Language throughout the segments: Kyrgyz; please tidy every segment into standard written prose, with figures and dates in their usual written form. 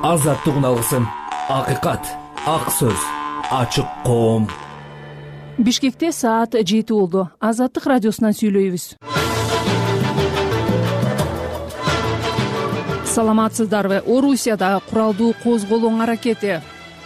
азаттык алгысын, акыйкат, ак сөз, ачык коом. Бишкекте саат 7 болду. Азаттык радиосунан сүйлөйбүз. Саламатсыздарбы? Орусияда куралдуу козголоң аракети.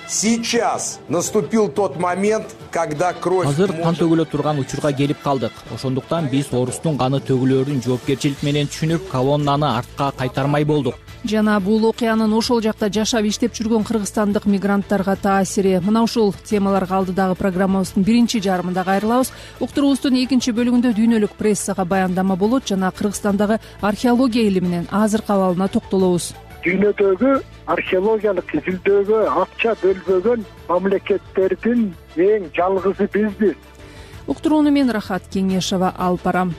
Сейчас наступил тот момент, когда кровь... Азыр кан төгүлө турган учурга келип калдык. Ошондуктан биз орустун каны төгүлөрүн жоопкерчилик менен түшүнүп, колоннаны артка кайтармай болдук. Жана бул окуянын ошол жакта жашап иштеп жүргөн кыргызстандык мигранттарга таасири. Мына ушул темаларга алдыдагы программабыздын биринчи жарымында кайрылабыз. Уктуруубуздун экинчи бөлүгүндө дүйнөлүк прессага баяндама болот жана Кыргызстандагы археология илиминин азыркы абалына токтолобуз. Дүйнөдөгү археологиялык изилдөөгө акча бөлбөгөн мамлекеттердин эң жалгызы бизбиз. Уктурууну мен Рахат Кеңешова алып барам.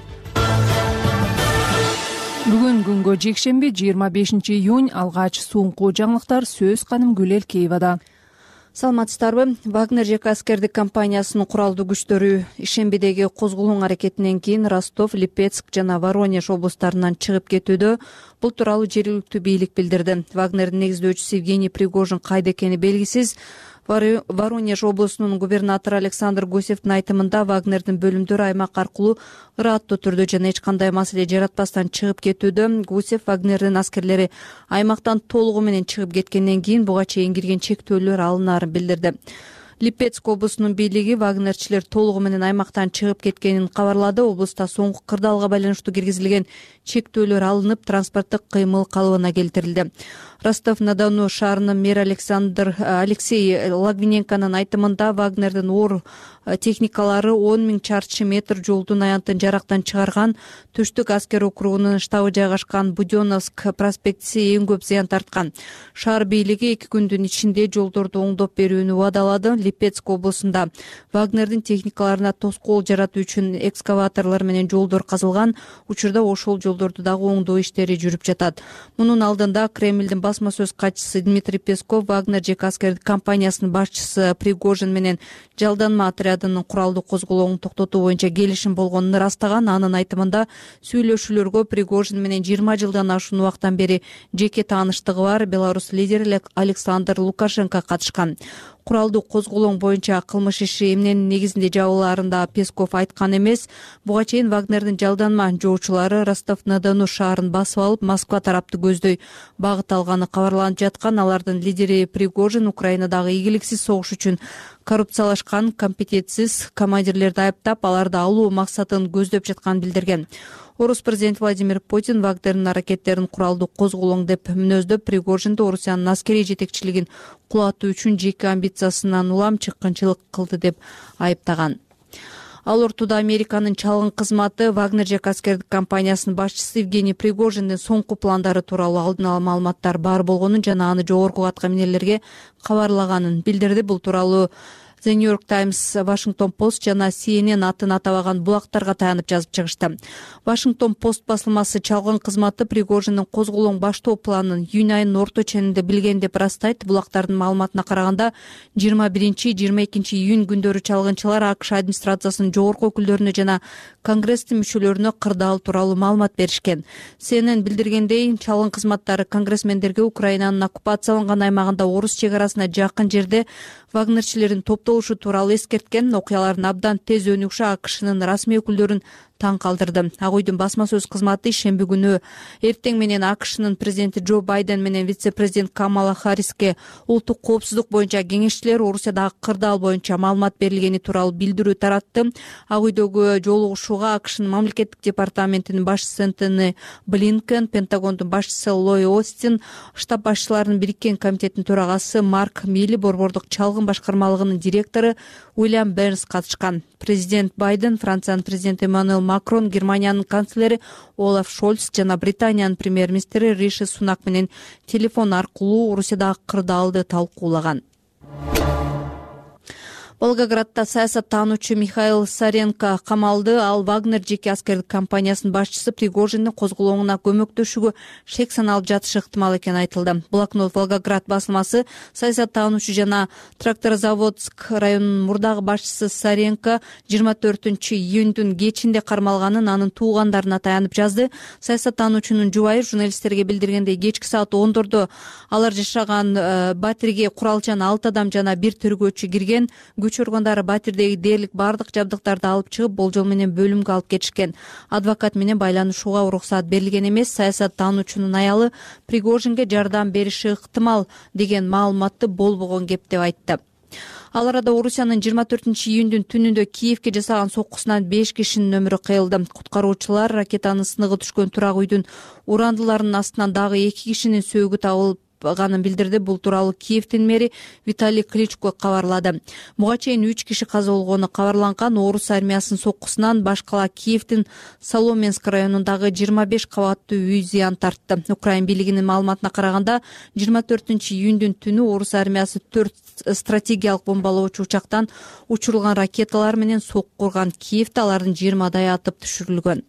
Бүгүн күнгө жекшемби 25 июнь алгач соңку жаңылыктар сөз Канымгүл Элкеевада. Саламатсыздарбы? Вагнер ЖК аскердик компаниясынын куралдуу күчтөрү ишембидеги козголоң аракетинен кийин Ростов, Липецк жана Воронеж облустарынан чыгып кетүүдө. Бул тууралуу жергиликтүү бийлик билдирди. Вагнердин негиздөөчүсү Евгений Пригожин кайда экени белгисиз. Воронеж облусунун губернатору Александр Гусевдин айтымында Вагнердин бөлүмдөрү аймак аркылуу ыраттуу түрдө жана эч кандай маселе жаратпастан чыгып кетүүдө. Гусев Вагнердин аскерлери аймактан толугу менен чыгып кеткенден кийин буга чейин кирген чектөөлөр алынаарын билдирди. Липецк облусунун бийлиги вагнерчилер толугу менен аймактан чыгып кеткенин кабарлады. Облуста соңку кырдаалга байланыштуу киргизилген чектөөлөр алынып, транспорттук кыймыл калыбына келтирилди. Ростов-на-Дону шаарынын мэри Алексей Лагвиненконун айтымында Вагнердин оор техникалары 10 000 чарчы метр жолдун аянтын жарактан чыгарган. Түштүк аскер округунун штабы жайгашкан Будённовск проспектиси эң көп зыян тарткан. Шаар бийлиги 2 күндүн ичинде жолдорду оңдоп берүүнү убадалады. Липецк облусунда Вагнердин техникаларына тоскоол жаратуу үчүн экскаваторлор менен жолдор казылган. Учурда ошол жолдорду дагы оңдоо иштери жүрүп жатат. Мунун алдында Кремлдин басма сөз катчысы Дмитрий Песков Вагнер ЖК аскердик компаниясынын башчысы Пригожин менен жалданма отрядынын куралдуу козголоңун токтотуу боюнча келишим болгонун ырастаган. Анын айтымында сүйлөшүүлөргө Пригожин менен 20 жылдан ашуун убакыттан бери жеке тааныштыгы бар Беларусь лидери Александр Лукашенко катышкан. Куралдуу козголоң боюнча кылмыш иши эмненин негизинде жабылаарында Песков айткан эмес. Буга чейин Вагнердин жалданма жоочулары Ростов-на-Дону шаарын басып алып, Москва тарапты көздөй багыт алганы кабарланып жаткан. Алардын лидери Пригожин Украинадагы ийгиликсиз согуш үчүн коррупциялашкан, компетентсиз командирлерди айыптап, аларды алуу максатын көздөп жатканын билдирген. Орус президенти Владимир Путин Вагнердин аракеттерин куралдуу козголоң деп мүнөздөп, Пригожинди Орусиянын аскерий жетекчилигин кулатуу үчүн жеке амбициясынан улам чыккынчылык кылды деп айыптаган. Ал ортодо Американын чалгын кызматы Вагнер ЖК аскердик компаниясынын башчысы Евгений Пригожиндин соңку пландары тууралуу алдын ала маалыматтар бар болгонун жана аны жогорку аткаминерлерге кабарлаганын билдирди. Бул тууралуу The New York Times, Washington Post жана CNN атын атабаган булактарга таянып жазып чыгышты. Washington Post басылмасы чалгын кызматы Пригожиндин козголоң баштоо планын июнь айынын орто ченинде билген деп ырастайт. Булактардын маалыматына караганда 21-22 июнь күндөрү чалгынчылар АКШ администрациясынын жогорку өкүлдөрүнө жана Конгресстин мүчөлөрүнө кырдаал тууралуу маалымат беришкен. CNN билдиргендей, чалгын кызматтары конгрессмендерге Украинанын оккупацияланган аймагында орус чек арасына жакын жерде вагнерчилердин топтолушу тууралуу эскерткен. Окуялардын абдан тез өнүгүшү АКШнын расмий өкүлдөрүн таң калтырды. Ак үйдүн басма сөз кызматы ишемби күнү эртең менен АКШнын президенти Джо Байден менен вице-президент Камала Харриске улуттук коопсуздук боюнча кеңешчилер Орусиядагы кырдаал боюнча маалымат берилгени тууралуу билдирүү таратты. Ак үйдөгү жолугушууга АКШнын мамлекеттик департаментинин башчысы Энтони Блинкен, Пентагондун башчысы Ллойд Остин, штаб башчыларынын бириккен комитетинин төрагасы Марк Милли, борбордук чалгын башкармалыгынын директору Уильям Бернс катышкан. Президент Байден, Франциянын президенти Эммануэл Макрон, Германиянын канцлери Олаф Шольц жана Британиянын премьер-министри Риши Сунак менен телефон аркылуу Орусиядагы кырдаалды талкуулаган. Волгоградда саясаттануучу Михаил Саренко камалды. Ал Вагнер жеке аскердик компаниясынын башчысы Пригожиндин козголоңуна көмөктөшүүгө шек саналып жатышы ыктымал экени айтылды. Блокнот Волгоград басылмасы саясаттануучу жана Тракторозаводск районунун мурдагы башчысы Саренко 24-июндүн кечинде кармалганын анын туугандарына таянып жазды. Саясаттануучунун жубайы журналисттерге билдиргендей, кечки саат 10:00 алар жашаган батирге куралчан 6 адам жана 1 тергөөчү кирген. Күч органдары батирдеги дээрлик бардык жабдыктарды алып чыгып, болжол менен бөлүмгө алып кетишкен. Адвокат менен байланышууга уруксат берилген эмес. Саясаттануучунун аялы Пригожинге жардам бериши ыктымал деген маалыматты болбогон кеп деп айтты. Ал арада Орусиянын 24-июндүн түнүндө Киевке жасаган соккусунан 5 кишинин өмүрү кыйылды. Куткаруучулар ракетанын сыныгы түшкөн турак үйдүн урандыларынын астынан дагы 2 кишинин сөөгү табылганын билдирди. Бул тууралуу Киевдин мэри Виталий Кличко кабарлады. Буга чейин 3 киши каза болгону кабарланган. Орус армиясынын соккусунан башкала Киевдин Соломенск районундагы 25 кабаттуу үй зыян тартты. Украин бийлигинин маалыматына караганда 24-июндүн түнү Орус армиясы 4 стратегиялык бомбалоочу учактан учурулган ракеталар менен сокку курган. Киевде алардын 20-дай атып түшүрүлгөн.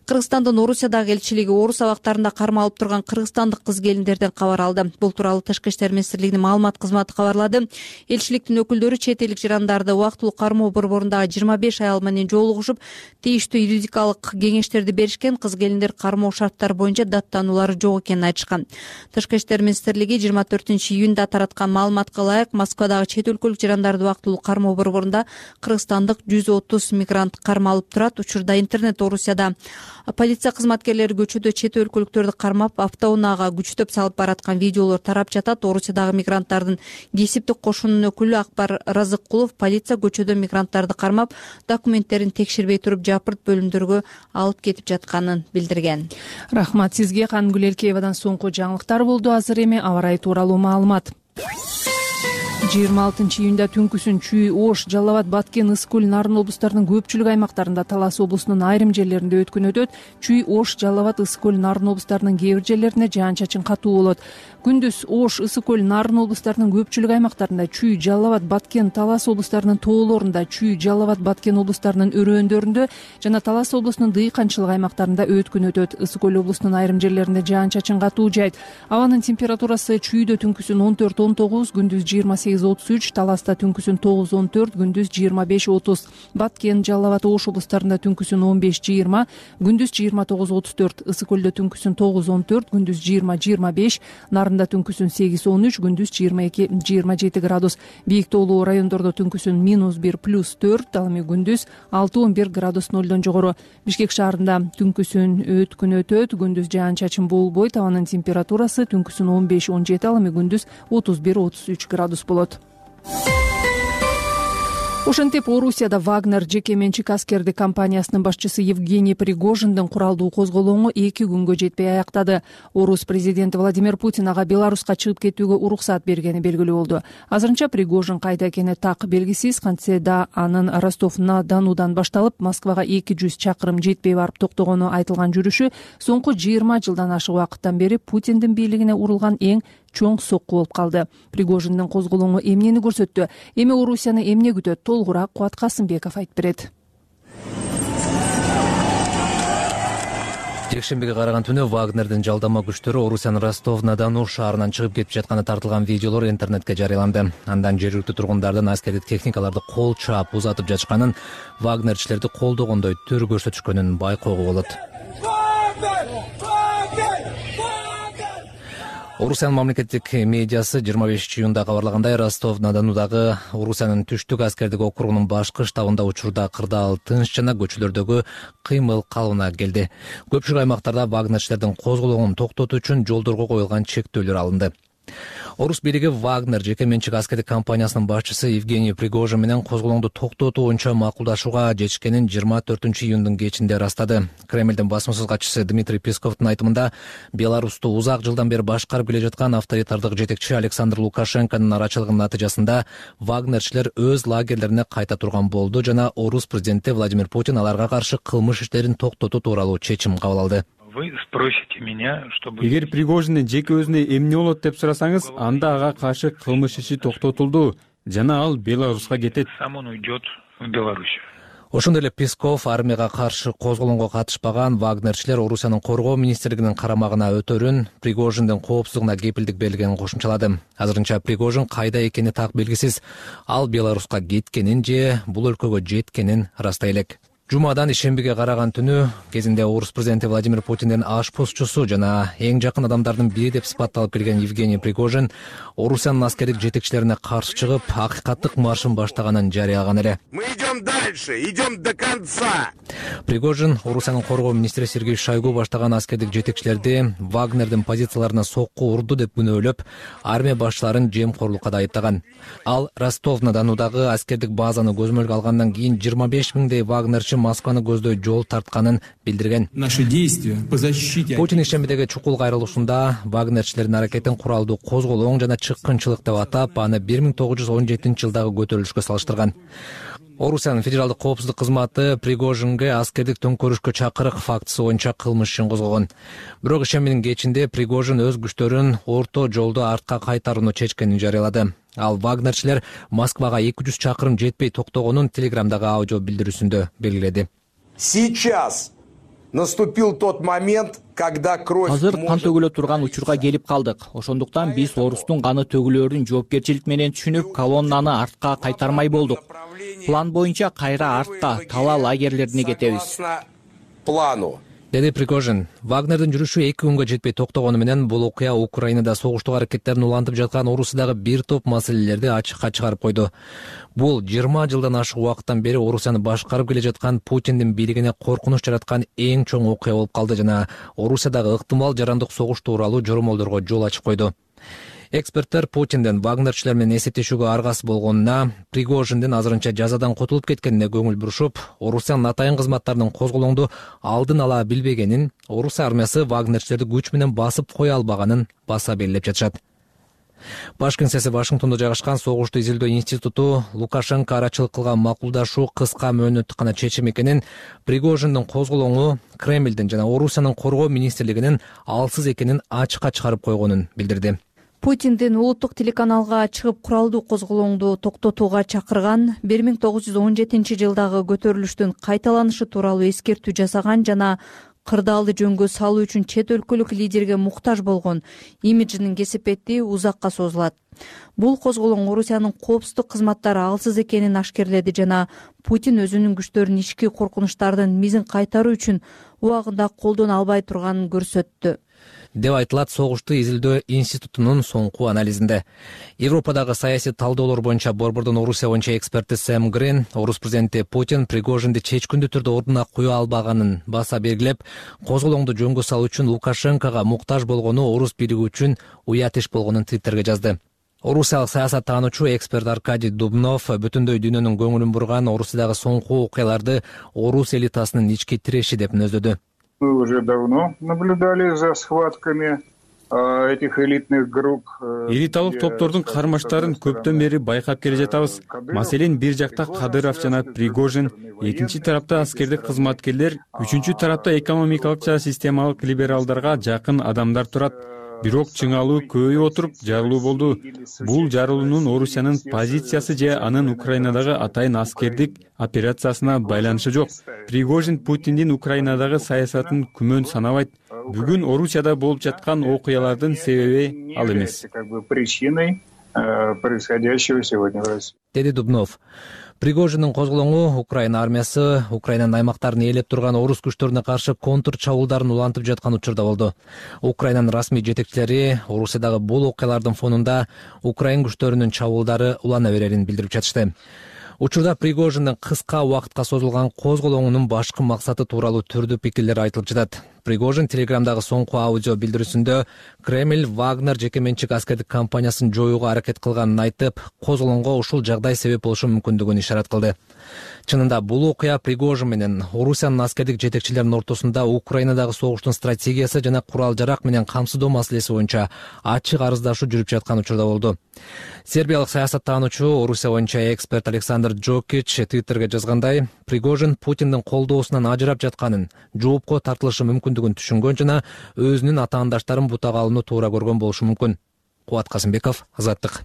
Кыргызстандын Орусиядагы элчилиги орус абактарында кармалып турган кыргызстандык кыз келиндерден кабар алды. Бул тууралуу Тышкы иштер министрлигинин маалымат кызматы кабарлады. Элчиликтин өкүлдөрү чет элдик жарандарды убактылуу кармоо борборундагы 25 аял менен жолугушуп, тийиштүү юридикалык кеңештерди беришкен. Кыз келиндер кармоо шарттары боюнча даттануулары жок экенин айтышкан. Тышкы иштер министрлиги 24-июнда тараткан маалыматка ылайык Москвадагы чет өлкөлүк жарандарды убактылуу кармоо борборунда кыргызстандык 130 мигрант кармалып турат. Учурда интернет Орусияда полиция кызматкерлери көчөдө чет өлкөлүктөрдү кармап, автоунаага күчтөп салып бараткан видеолор тарап жатат. Орусиядагы мигранттардын кесиптик кошунунун өкүлү Акбар Разыккулов полиция көчөдө мигранттарды кармап, документтерин текшербей туруп жапырт бөлүмдөргө алып кетип жатканын билдирген. Рахмат сизге. Кангүл Элкеевадан соңку жаңылыктар болду. Азыр эми аба ырайы тууралуу маалымат. 26-июнда түнкүсүн Чүй, Ош, Жалал Абад, Баткен, Ысык көл, Нарын облустарынын көпчүлүк аймактарында, Талас облусунун айрым жерлеринде өткөн өтөт. Чүй, Ош, Жалал Абад, Ысык көл, Нарын облустарынын кээ бир жерлерине жаан-чачын катуу болот. Күндүз Ош, Ысык көл, Нарын облустарынын көпчүлүк аймактарында, Чүй, Жалал Абад, Баткен, Талас облустарынын тоолорунда, Чүй, Жалал Абад, Баткен облустарынын өрөөндөрүндө жана Талас облусунун дыйканчылык аймактарында өткөн өтөт. Ысык көл облусунун айрым жерлеринде жаан-чачын катуу жайт. Абанын температурасы Чүйдө түнкүсүн 14-19, күндүз 28-33, Таласта түнкүсүн 9-14, күндүз 25-30, Баткен, Жалал Абад, Ош облустарында түнкүсүн 15-20, күндүз 29-34, Ысык көлдө түнкүсүн 9-14, күндүз 20-25, Нарында түнкүсүн 8-13, күндүз 22-27 градус. Бийик тоолуу райондордо түнкүсүн -1 +4, ал эми күндүз 6-11 градус нолдон жогору. Бишкек шаарында түнкүсүн өткүн өтөт, күндүз жаан-чачын болбойт. Абанын температурасы түнкүсүн 15-17, ал эми күндүз 31-33 градус болот. Ошентип Орусияда Вагнер жеке менчик аскердик компаниясынын башчысы Евгений Пригожиндин куралдуу козголоңу 2 күнгө жетпей аяктады. Орус президенти Владимир Путин ага Беларуска чыгып кетүүгө уруксат бергени белгилүү болду. Азырынча Пригожин кайда экени так белгисиз. Кантсе да анын Ростов-на-Донудан башталып Москвага 200 чакырым жетпей барып токтогону айтылган жүрүшү соңку 20 жылдан ашык убакыттан бери Путиндин бийлигине урулган эң чоң сокку болуп калды. Пригожиндин козголоңу эмнени көрсөттү? Эми Орусияны эмне күтөт? Толугураак Кубат Касымбеков айтып берет. Жекшембиге караган түнү Вагнердин жалдама күчтөрү Орусиянын Ростов-на-Дону шаарынан чыгып кетип жатканы тартылган видеолор интернетке жарыяланды. Андан жергиликтүү тургундардын аскердик техникаларды кол чаап узатып жатышканын, вагнерчилерди колдогондой төр көрсөтүшкөнүн байкоого болот. Орусиянын мамлекеттик медиасы 25-июнда кабарлагандай, Ростов-на-Донудагы Орусиянын түштүк аскердик округунун башкы штабында учурда кырдаал тынч жана көчөлөрдөгү кыймыл калыбына келди. Көпчүлүк аймактарда вагнерчилердин козголоңун токтотуу үчүн жолдорго коюлган чектөөлөр алынды. Орус бийлиги Вагнер жеке менчик аскердик компаниясынын башчысы Евгений Пригожин менен козголоңду токтотуу боюнча макулдашууга жетишкенин 24-июндун кечинде ырастады. Кремлдин басмасөз катчысы Дмитрий Песковдун айтымында, Беларусту узак жылдан бери башкарып келе жаткан авторитардык жетекчи Александр Лукашенконун арачылыгынын натыйжасында Вагнерчилер өз лагерлерине кайта турган болду жана Орус президенти Владимир Путин аларга каршы кылмыш иштерин токтотуу тууралуу чечим кабыл алды. Вы спросите меня, чтобы... Эгер Пригожиндин жеке өзүнө эмне болот деп сурасаңыз, анда ага каршы кылмыш иши токтотулду. жана ал Беларуска кетет. Сам он уйдет в Беларусь. Ошондой эле Песков армияга каршы козголоңго катышпаган вагнерчилер Орусиянын коргоо министрлигинин карамагына өтөрүн, Пригожиндин коопсуздугуна кепилдик бергенин кошумчалады. Азырынча Пригожин кайда экени так белгисиз. Ал Беларуска кеткенин же бул өлкөгө жеткенин ырастай элек. Жумадан ишембиге караган түнү кезинде орус президенти Владимир Путиндин ашпозчусу жана эң жакын адамдардын бири деп сыпатталып келген Евгений Пригожин Орусиянын аскердик жетекчилерине каршы чыгып, акыйкаттык маршын баштаганын жарыялаган эле. Мы идем дальше, идем до конца. Пригожин Орусиянын коргоо министри Сергей Шойгу баштаган аскердик жетекчилерди Вагнердин позицияларына сокку урду деп күнөөлөп, армия башчыларын жемкорлукка да айыптаган. Ал Ростов-на-Донудагы аскердик базаны көзөмөлгө алгандан кийин 25 миңдей вагнерчи Москваны көздөй жол тартканын билдирген. Наши действия по защите. Путин ишембидеги чукул кайрылышында вагнерчилердин аракетин куралдуу козголоң жана чыккынчылык деп атап, аны 1917-жылдагы көтөрүлүшкө салыштырган. Орусиянын федералдык коопсуздук кызматы Пригожинге аскердик төңкөрүшкө чакырык фактысы боюнча кылмыш ишин козгогон. Бирок ишембинин кечинде Пригожин өз күчтөрүн орто жолдо артка кайтарууну чечкенин жарыялады. Ал вагнерчилер Москвага 200 чакырым жетпей токтогонун Телеграмдагы аудио билдирүүсүндө белгиледи. Сейчас наступил тот момент, когда кровь... Азыр кан төгүлө турган учурга келип калдык. Ошондуктан биз орустун каны төгүлөөрүн жоопкерчилик менен түшүнүп, колоннаны артка кайтармай болдук. План боюнча кайра артка, тала лагерлерине кетебиз. Плану. Деди Пригожин. Вагнердин жүрүшү 2 күнгө жетпей токтогону менен бул окуя Украинада согуштук аракеттерин улантып жаткан Орусиядагы бир топ маселелерди ачыкка чыгарып койду. Бул 20 жылдан ашык убакыттан бери Орусияны башкарып келе жаткан Путиндин бийлигине коркунуч жараткан эң чоң окуя болуп калды жана Орусиядагы ыктымал жарандык согуш тууралуу жоромолдорго жол ачып койду. Эксперттер Путиндин вагнерчилер менен эсептешүүгө аргасыз болгонуна, Пригожиндин азырынча жазадан котулуп кеткенине көңүл бурушуп, Орусиянын атайын кызматтарынын козголоңду алдын ала билбегенин, Орус армиясы вагнерчилерди күч менен басып кое албаганын баса белгилеп жатышат. Баш кеңсеси Вашингтондо жайгашкан Согушту изилдөө институту Лукашенко арачылык кылган макулдашуу кыска мөөнөттүк гана чечим экенин, Пригожиндин козголоңу Кремлдин жана Орусиянын коргоо министрлигинин алсыз экенин ачыкка чыгарып койгонун билдирди. Путиндин улуттук телеканалга чыгып куралдуу козголоңду токтотууга чакырган, 1917-жылдагы көтөрүлүштүн кайталанышы тууралуу эскертүү жасаган жана кырдаалды жөнгө салуу үчүн чет өлкөлүк лидерге муктаж болгон имиджинин кесепети узакка созулат. Бул козголоң Орусиянын коопсуздук кызматтары алсыз экенин ашкерледи жана Путин өзүнүн күчтөрүн ички коркунучтардын мизин кайтаруу үчүн убагында колдоно албай турганын көрсөттү деп айтылат Согушту изилдөө институтунун соңку анализинде. Европадагы саясий талдоолор боюнча Борбордон Орусия боюнча эксперти Сэм Грин Орус президенти Путин Пригожинди чечкиндүү түрдө ордуна кое албаганын баса белгилеп, козголоңду жөнгө салуу үчүн Лукашенкого муктаж болгону Орус бийлиги үчүн уят иш болгонун Твиттерге жазды. Орусиялык саясаттануучу эксперт Аркадий Дубнов бүтүндөй дүйнөнүн көңүлүн бурган Орусиядагы соңку окуяларды Орус элитасынын ички тиреши деп мүнөздөдү. Мы уже давно наблюдали за схватками этих элитных групп. Элиталык топтордун кармаштарын көптөн бери байкап келе жатабыз. Маселен, бир жакта Кадыров жана Пригожин, экинчи тарапта аскердик кызматкерлер, үчүнчү тарапта экономикалык жана системалык либералдарга жакын адамдар турат. Бирок чыңалуу көбөйүп отуруп жарылуу болду. Бул жарылуунун Орусиянын позициясы же анын Украинадагы атайын аскердик операциясына байланышы жок. Пригожин Путиндин Украинадагы саясатын күмөн санабайт. Бүгүн Орусияда болуп жаткан окуялардын себеби ал эмес. Причиной происходящего сегодня в России. Деди Дубнов. Пригожиндин козголоңу Украина армиясы Украинанын аймактарын ээлеп турган орус күчтөрүнө каршы контр чабуулдарын улантып жаткан учурда болду. Украинанын расмий жетекчилери Орусиядагы бул окуялардын фонунда Украин күчтөрүнүн чабуулдары улана берерин билдирип жатышты. Учурда Пригожиндин кыска убакытка созулган козголоңунун башкы максаты тууралуу түрдүү пикирлер айтылып жатат. Пригожин Телеграмдагы соңку аудио билдирүүсүндө Кремль Вагнер жеке менчик аскердик компаниясын жоюуга аракет кылганын айтып, козголоңго ушул жагдай себеп болушу мүмкүндүгүн ишарат кылды. Чынында бул окуя Пригожин менен Орусиянын аскердик жетекчилеринин ортосунда Украинадагы согуштун стратегиясы жана курал-жарак менен камсыздоо маселеси боюнча ачык арыздашуу жүрүп жаткан учурда болду. Сербиялык саясаттануучу Орусия боюнча эксперт Александр Джокич Твиттерге жазгандай, Пригожин Путиндин колдоосунан ажырап жатканын, жоопко тартылышы мүмкүндүгүн түшүнгөн жана өзүнүн атаандаштарын бутага алууну туура көргөн болушу мүмкүн. Кубат Касымбеков, Азаттык.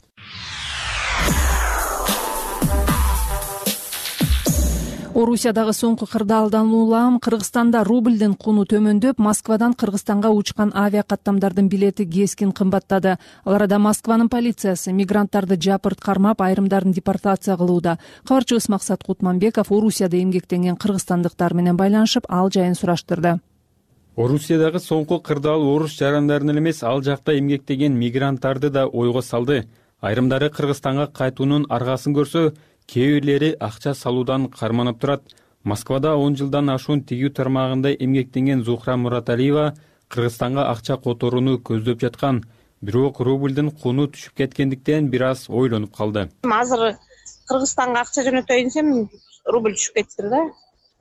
Орусиядагы соңку кырдаалдан улам Кыргызстанда рублдин куну төмөндөп, Москвадан Кыргызстанга учкан авиа каттамдардын билети кескин кымбаттады. Ал арада Москванын полициясы мигранттарды жапырт кармап, айрымдарын депортация кылууда. Кабарчыбыз Максат Кутманбеков Орусияда эмгектенген кыргызстандыктар менен байланышып, ал жайын сураштырды. Орусиядагы соңку кырдаал орус жарандарын эле эмес, ал жакта эмгектеген мигранттарды да ойго салды. Айрымдары Кыргызстанга кайтуунун аргасын көрсө, кээ бирлери акча салуудан карманып турат. Москвада 10 жылдан ашуун тигүү тармагында эмгектенген Зухра Мураталиева Кыргызстанга акча которууну көздөп жаткан. Бирок рублдин куну түшүп кеткендиктен бир аз ойлонуп калды. Азыр Кыргызстанга акча жөнөтөйүн десем, рубль түшүп кетти да.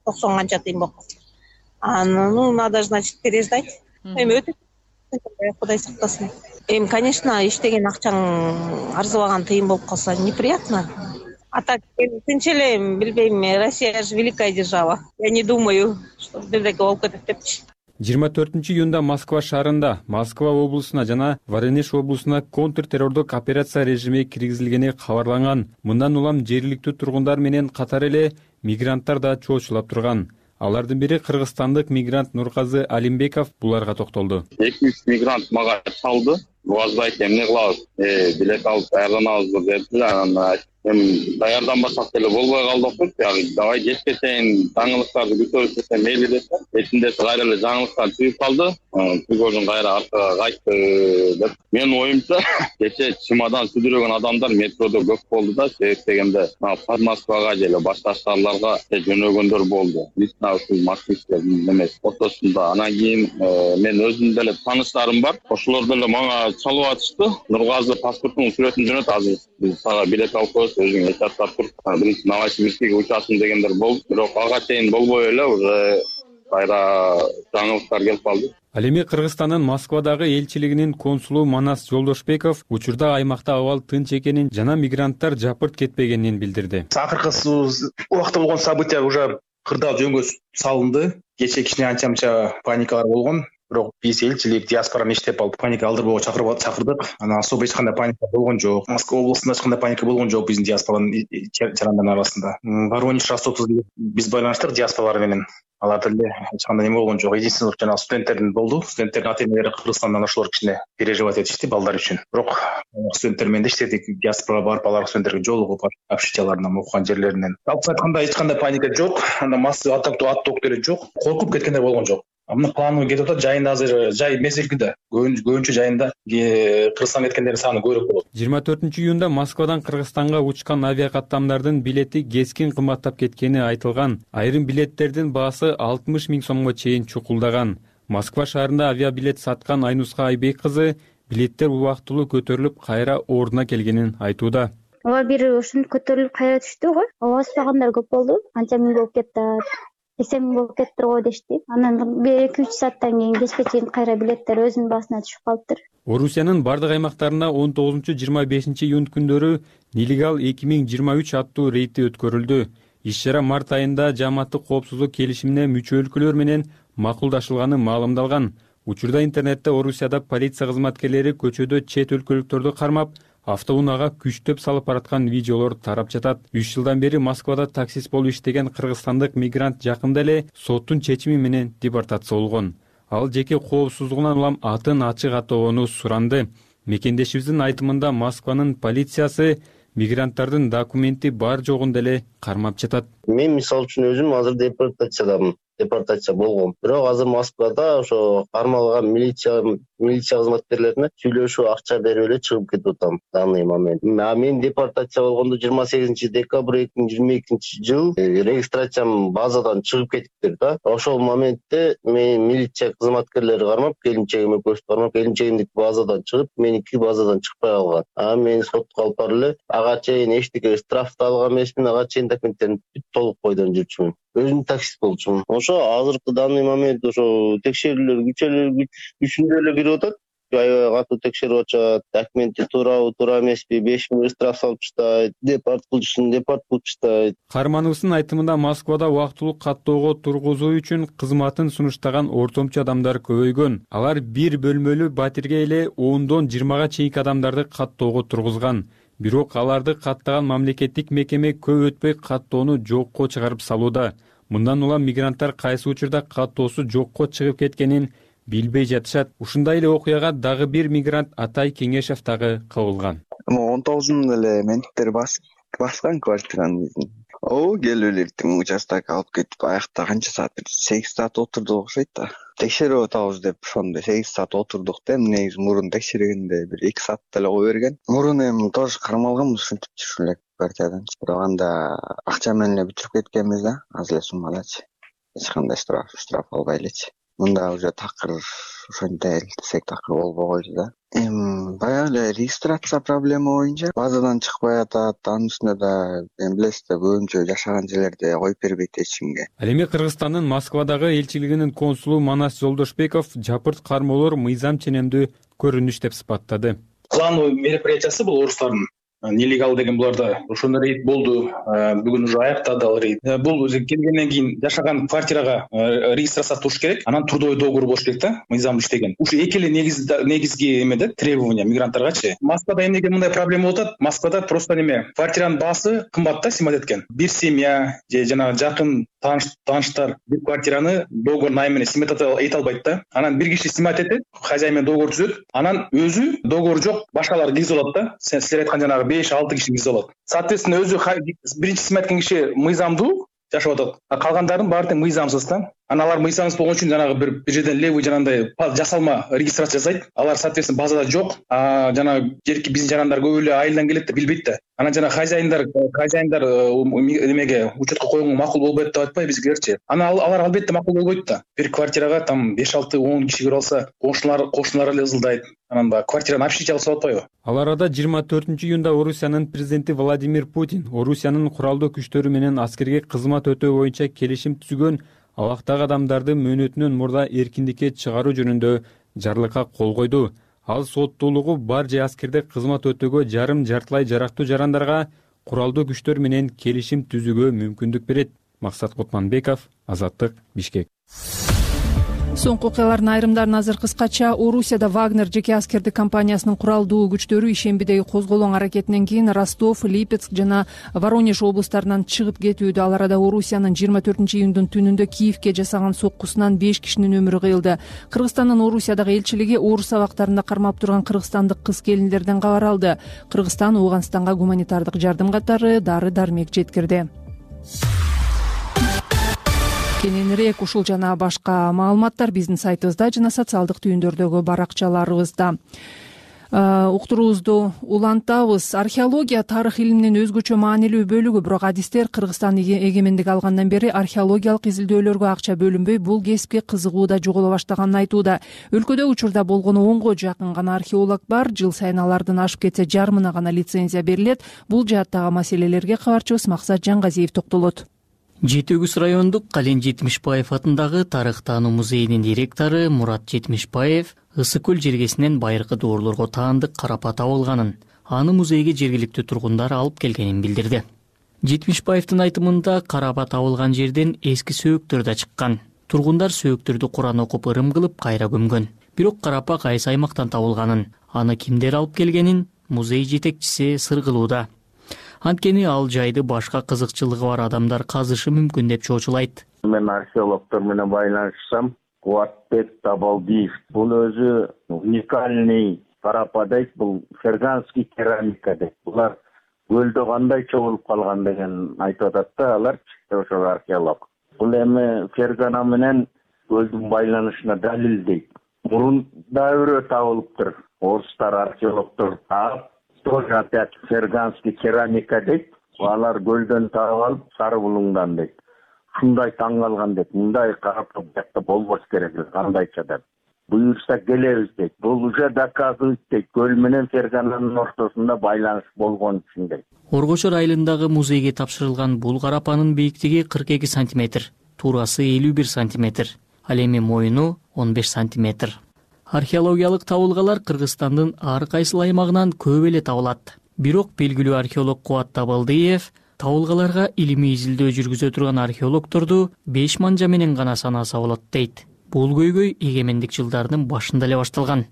90 канча тыйын болуп калды. Надо, значит, переждать. Өтө Кудай сактасын. Конечно, иштеген акчаң арзыбаган тыйын болуп калса неприятно. А так, тынч эле, билбейм, Россия же великая держава. Я не думаю, что бирдеке болуп кетет депчи. 24-июнда Москва шаарында, Москва облусуна жана Воронеж облусуна контртеррордук операция режими киргизилгени кабарланган. Мындан улам жергиликтүү тургундар менен катар эле мигранттар да чоочулап турган. Алардын бири кыргызстандык мигрант Нурказы Алимбеков буларга токтолду. 200 мигрант мага чалды. Буазбайт эмне кылабыз? Билет алып даярданабыз деп даярданбасак деле болбой калдык. Давай кеч кетейин, жаңылыктарды күтөбүз десем мейли десе, этинде кайра эле жаңылыктар түгүп калды. Түгөдөн кайра аркага кайтты деп. Менин оюмча, кече чемодан сүдүрөгөн адамдар метродо көп болду да, себеп дегенде Москвага же башка шаарларга жөнөгөндөр болду. Лично Москвичтер эмес, ортосунда. Анан кийин мен өзүм деле тааныштарым бар. Ошолор деле мага чалып атышты. Нургазы паспортунун сүрөтүн жөнөт, азыр биз сага билет алып коебуз, өзүң эчаттап тур. Биринчи Новосибирскке учасың дегендер болду. Бирок ага чейин болбой эле уже кайра жаңылыктар келип калды. Ал эми Кыргызстандын Москвадагы элчилигинин консулу Манас Жолдошбеков учурда аймакта абал тынч экенин жана мигранттар жапырт кетпегенин билдирди. Акыркы убакта болгон события уже кырдаал жөнгө салынды. Кечээ кичине анча-мынча паникалар болгон. Бирок биз элчилик диаспораны иштеп алып паника алдырбоого чакырдык. Анан особо эч кандай паника болгон жок. Москва облусунда эч кандай паника болгон жок биздин диаспоранын жарандарынын арасында. Воронеж, Ростовдо биз байланыштык диаспоралар менен. Аларда эле эч кандай неме болгон жок. Единственный жана студенттердин болду. Студенттердин ата-энелери Кыргызстандан ошолор кичине переживать этишти балдар үчүн. Бирок студенттер менен иштедик. Диаспорага барып алар студенттерге жолугуп, общежитияларынан окуган жерлеринен. Алып айтканда эч кандай паника жок. Анда массовый аттоок деле жок. Коркуп кеткендер болгон жок. Мына планы кетип атат. Жайында азыр жай мезгилде көбүнчө жайында Кыргызстанга кеткендердин саны көбүрөөк болот. 24-июнда Москвадан Кыргызстанга учкан авиа каттамдардын билети кескин кымбаттап кеткени айтылган. Айрым билеттердин баасы 60 000 сомго чейин чукулдаган. Москва шаарында авиабилет саткан Айнуска Айбек кызы билеттер убактылуу көтөрүлүп кайра ордуна келгенин айтууда. Ооба, бир ушинтип көтөрүлүп кайра түштү го. Баспагандар көп болду. Канча миң болуп кетти. 80 000 болуп кеттир го дешти. Анан 2-3 сааттан кийин кечке чейин кайра билеттер өзүнүн баасына түшүп калыптыр. Орусиянын бардык аймактарында 19-25 июнь күндөрү Нелегал 2023 аттуу рейди өткөрүлдү. Иш-чара март айында жааматтык коопсуздук келишимине мүчө өлкөлөр менен макулдашылганы маалымдалган. Учурда интернетте Орусияда полиция кызматкерлери көчөдө чет өлкөлүктөрдү кармап, автоунаага күчтөп салып бараткан видеолор тарап жатат. 3 жылдан бери Москвада таксист болуп иштеген кыргызстандык мигрант жакында эле соттун чечими менен депортация болгон. Ал жеке коопсуздугунан улам атын ачык атоону суранды. Мекендешибиздин айтымында Москванын полициясы мигранттардын документи бар жогун деле кармап жатат. Мен мисалы үчүн өзүм азыр депортация болгом. Бирок азыр Москвада ошо кармалган милиция кызматкерлерине сүйлөшүп акча берип эле чыгып кетип атам данный момент. Мен депортация болгондо 28 декабрь 2022 жыл регистрациям базадан чыгып кетиптир да. Ошол моментте мен милиция кызматкерлери кармап, келинчегиме көчүп кармап, келинчегимдики базадан чыгып, меники базадан чыкпай калган. Мен сотко алып барып эле ага чейин эчтеке штрафты алган эмесмин, ага чейин документтерин толук койдон жүрчүмүн. Өзүм таксист болчумун. Ошо азыркы данный момент ошо текшерүүлөр күчүндө эле кирип атат. Аябай катуу текшерип атышат. Документи туурабы, туура эмеспи, 5 000 штраф салып таштайт, депорт кылып таштайт. Каармановдун айтымында Москвада убактылуу каттоого тургузуу үчүн кызматын сунуштаган ортомчу адамдар көбөйгөн. Алар бир бөлмөлүү батирге эле 10-дон 20га чейинки адамдарды каттоого тургузган. бирок аларды каттаган мамлекеттик мекеме көп өтпөй каттоону жокко чыгарып салууда. Мындан улам мигранттар кайсы учурда каттоосу жокко чыгып кеткенин билбей жатышат. Ушундай эле окуяга дагы бир мигрант Атай Кеңешев дагы кабылган. 19 эле менттер баскан квартираны. Келип эле участок алып кетип, аякта канча саат? 8 саат отурдук окшойт да. Текшерип атабыз деп ошондо 8 саат отурдук да, негизи мурун текшергенде бир 2 саат деле кое берген. Мурун эми тоже кармалганбыз ушинтип жүрүп эле квартирадан. Бирок анда акча менен эле бүтүрүп кеткенбиз да, аз эле суммадачы. Эч кандай штраф албай элечи. Мында уже такыр ошондой десек такыр болбой койду да. Баягы эле регистрация проблема боюнча базадан чыкпай атат, анын үстүнө да билесиз да, көбүнчө жашаган жерлерде коюп бербейт эч кимге. Ал эми Кыргызстандын Москвадагы элчилигинин консулу Манас Жолдошбеков жапырт кармоолор мыйзам ченемдүү көрүнүш деп сыпаттады. Плановый мероприятиясы бул орустардын. Нелегал деген буларда ошондой рейд болду. Бүгүн уже аяктады ал рейд. Бул өзү келгенден кийин жашаган квартирага регистрация туруш керек. Анан трудовой договор болуш керек да, мыйзам иштеген. Ушу эки эле негизги эме да, требования мигранттаргачы. Москвада эмнеге мындай проблема болуп атат? Москвада просто неме, квартиранын баасы кымбат да, симат эткен. Бир семья же жанагы жакын тааныштар бир квартираны договор найм менен симат эте албайт да. Анан бир киши симат этет, хозяин менен договор түзөт. Анан өзү договор жок, башкалар киргизип алат да. Силер айткан жанагы 5-6 киши киргизип алат. Соответственно, өзү биринчи симат эткен киши мыйзамдуу жашап атат. А калгандардын баары тең мыйзамсыз да. Анан алар мыйзамсыз болгон үчүн жанагы бир жерден левый жанагындай жасалма регистрация жасайт. Алар соответственно базада жок. Жанагы жерки биздин жарандар көп эле айылдан келет да, билбейт да. Анан жана хозяиндар эмеге учетко койгонго макул болбойт деп айтпайбы бизгилерчи. Анан алар албетте макул болбойт да. Бир квартирага там 5-6-10 киши кирип алса, коңшулар эле ызылдайт. Анан баягы квартираны общежитие алып атпайбы? Ал арада 24-июнда Орусиянын президенти Владимир Путин Орусиянын куралдуу күчтөрү менен аскерге кызмат өтөө боюнча келишим түзгөн абактагы адамдарды мөөнөтүнөн мурда эркиндикке чыгаруу жөнүндө жарлыкка кол койду. Ал соттуулугу бар же аскерде кызмат өтөөгө жартылай жарактуу жарандарга куралдуу күчтөр менен келишим түзүүгө мүмкүндүк берет. Максат Кутманбеков, Азаттык, Бишкек. Соңку окуялардын айрымдарын азыр кыскача. Орусияда Вагнер жеке аскердик компаниясынын куралдуу күчтөрү ишембидеги козголоң аракетинен кийин Ростов, Липецк жана Воронеж облустарынан чыгып кетүүдө. Ал арада Орусиянын 24-июндун түнүндө Киевке жасаган соккусунан 5 кишинин өмүрү кыйылды. Кыргызстандын Орусиядагы элчилиги орус абактарында кармап турган кыргызстандык кыз-келиндерден кабар алды. Кыргызстан Ооганстанга гуманитардык жардам катары дары-дармек жеткирди. Кененирээк ушул жана башка маалыматтар биздин сайтыбызда жана социалдык түйүндөрдөгү баракчаларыбызда. Уктуруубузду улантабыз. Археология тарых илиминин өзгөчө маанилүү бөлүгү, бирок адистер Кыргызстан эгемендик алгандан бери археологиялык изилдөөлөргө акча бөлүнбөй, бул кесипке кызыгуу да жоголо баштаганын айтууда. Өлкөдө учурда болгону 10го жакын гана археолог бар. Жыл сайын алардын ашып кетсе жарымына гана лицензия берилет. Бул жааттагы маселелерге кабарчыбыз Максат Жангазиев токтолот. Жети Өгүз райондук Кален Жетимишбаев атындагы тарых таануу музейинин директору Мурат Жетимишбаев Ысык көл жергесинен байыркы доорлорго таандык карапа табылганын, аны музейге жергиликтүү тургундар алып келгенин билдирди. Жетимишбаевдин айтымында карапа табылган жерден эски сөөктөр да чыккан. Тургундар сөөктөрдү Куран окуп ырым кылып кайра көмгөн. Бирок карапа кайсы аймактан табылганын, аны кимдер алып келгенин музей жетекчиси сыр кылууда. Анткени ал жайды башка кызыкчылыгы бар адамдар казышы мүмкүн деп чоочулайт. Мен археологдор менен байланышсам, Кубатбек Табалдиев бул өзү уникальный карапа дейт, бул ферганский керамика дейт. Булар көлдө кандай чогулуп калган деген айтып атат да, алар ошол археолог. Бул эми фергана менен көлдүн байланышына далил дейт. Мурун дәүрө табылыптыр. Орустар археологдор таап, тоже опять ферганский керамика дейт. Алар көлдөн таап алып, Сары булуңдан дейт. Шундай таң калган дейт. Мындай карапа бuyakta болбош керек, кандайча деп. Буюрса келебиз дейт. Бул уже доказывает дейт. Көл менен фергананын ортосунда байланыш болгон үчүн дейт. Оргошор айылындагы музейге тапшырылган бул карапанын бийиктиги 42 сантиметр, туурасы 51 сантиметр, ал эми моюну 15 сантиметр. Археологиялык табылгалар Кыргызстандын ар кайсы аймагынан көп эле табылат. Бирок белгилүү археолог Кубат Табалдиев табылгаларга илимий изилдөө жүргүзө турган археологдорду 5 манжа менен гана санаса болот дейт. Бул көйгөй эгемендик жылдарынын башында эле башталган.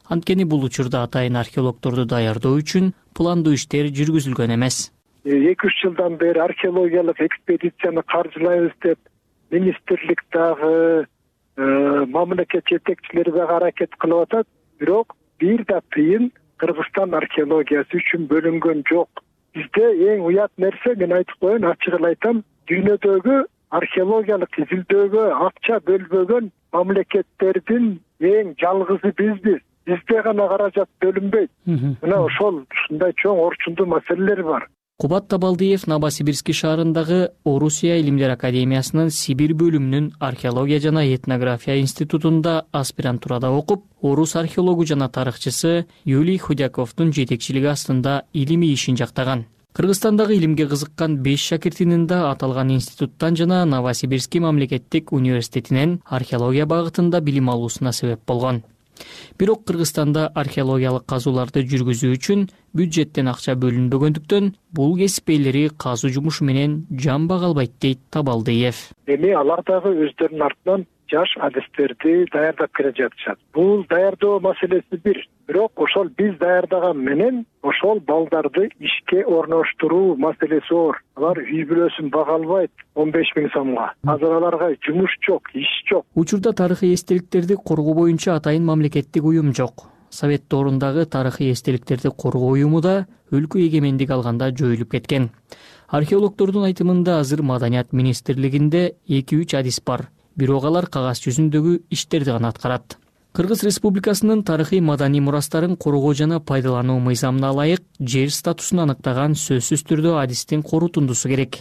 Анткени бул учурда атайын археологторду даярдоо үчүн пландуу иштер жүргүзүлгөн эмес. 2-3 жылдан бери археологиялык экспедицияны каржылайбыз деп министрлик дагы мамлекет жетекчилери дагы аракет кылып атат. Бирок бир да тыйын Кыргызстан археологиясы үчүн бөлүнгөн жок. Бизде эң уят нерсе, мен айтып коеюн, ачык эле айтам, дүйнөдөгү археологиялык изилдөөгө акча бөлбөгөн мамлекеттердин эң жалгызы бизбиз. Бизде гана каражат бөлүнбөйт. Мына ошол ушундай чоң орчундуу маселелер бар. Кубат Табалдиев Новосибирский шаарындагы Орусия Илимдер академиясынын Сибирь бөлүмүнүн археология жана этнография институтунда аспирантурада окуп, орус археологу жана тарыхчысы Юлий Худяковдун жетекчилиги астында илимий ишин жактаган. Кыргызстандагы илимге кызыккан 5 шакиртинин да аталган институттан жана Новосибирский мамлекеттик университетинен археология багытында билим алуусуна себеп болгон. Бирок Кыргызстанда археологиялык казууларды жүргүзүү үчүн бюджеттен акча бөлүнбөгөндүктөн бул кесип ээлери казуу жумушу менен жамбак албайт дейт Табалдиев. Эми алар дагы өздөрүнүн артынан жаш адистерди даярдап келе жатышат. Бул даярдоо маселеси бир. Бирок ошол биз даярдаган менен ошол балдарды ишке орноштуруу маселеси оор. Алар үй бүлөсүн бага албайт 15 000 сомго. Азыр аларга жумуш жок, иш жок. Учурда тарыхый эстеликтерди коргоо боюнча атайын мамлекеттик уюм жок. Совет доорундагы тарыхый эстеликтерди коргоо уюму да өлкө эгемендик алганда жоюлуп кеткен. Археологтордун айтымында азыр Маданият министрлигинде 2-3 адис бар. Бирок алар кагаз жүзүндөгү иштерди гана аткарат. Кыргыз Республикасынын тарыхый маданий мурастарын коргоо жана пайдалануу мыйзамына ылайык жер статусун аныктаган сөзсүз түрдө адистин корутундусу керек.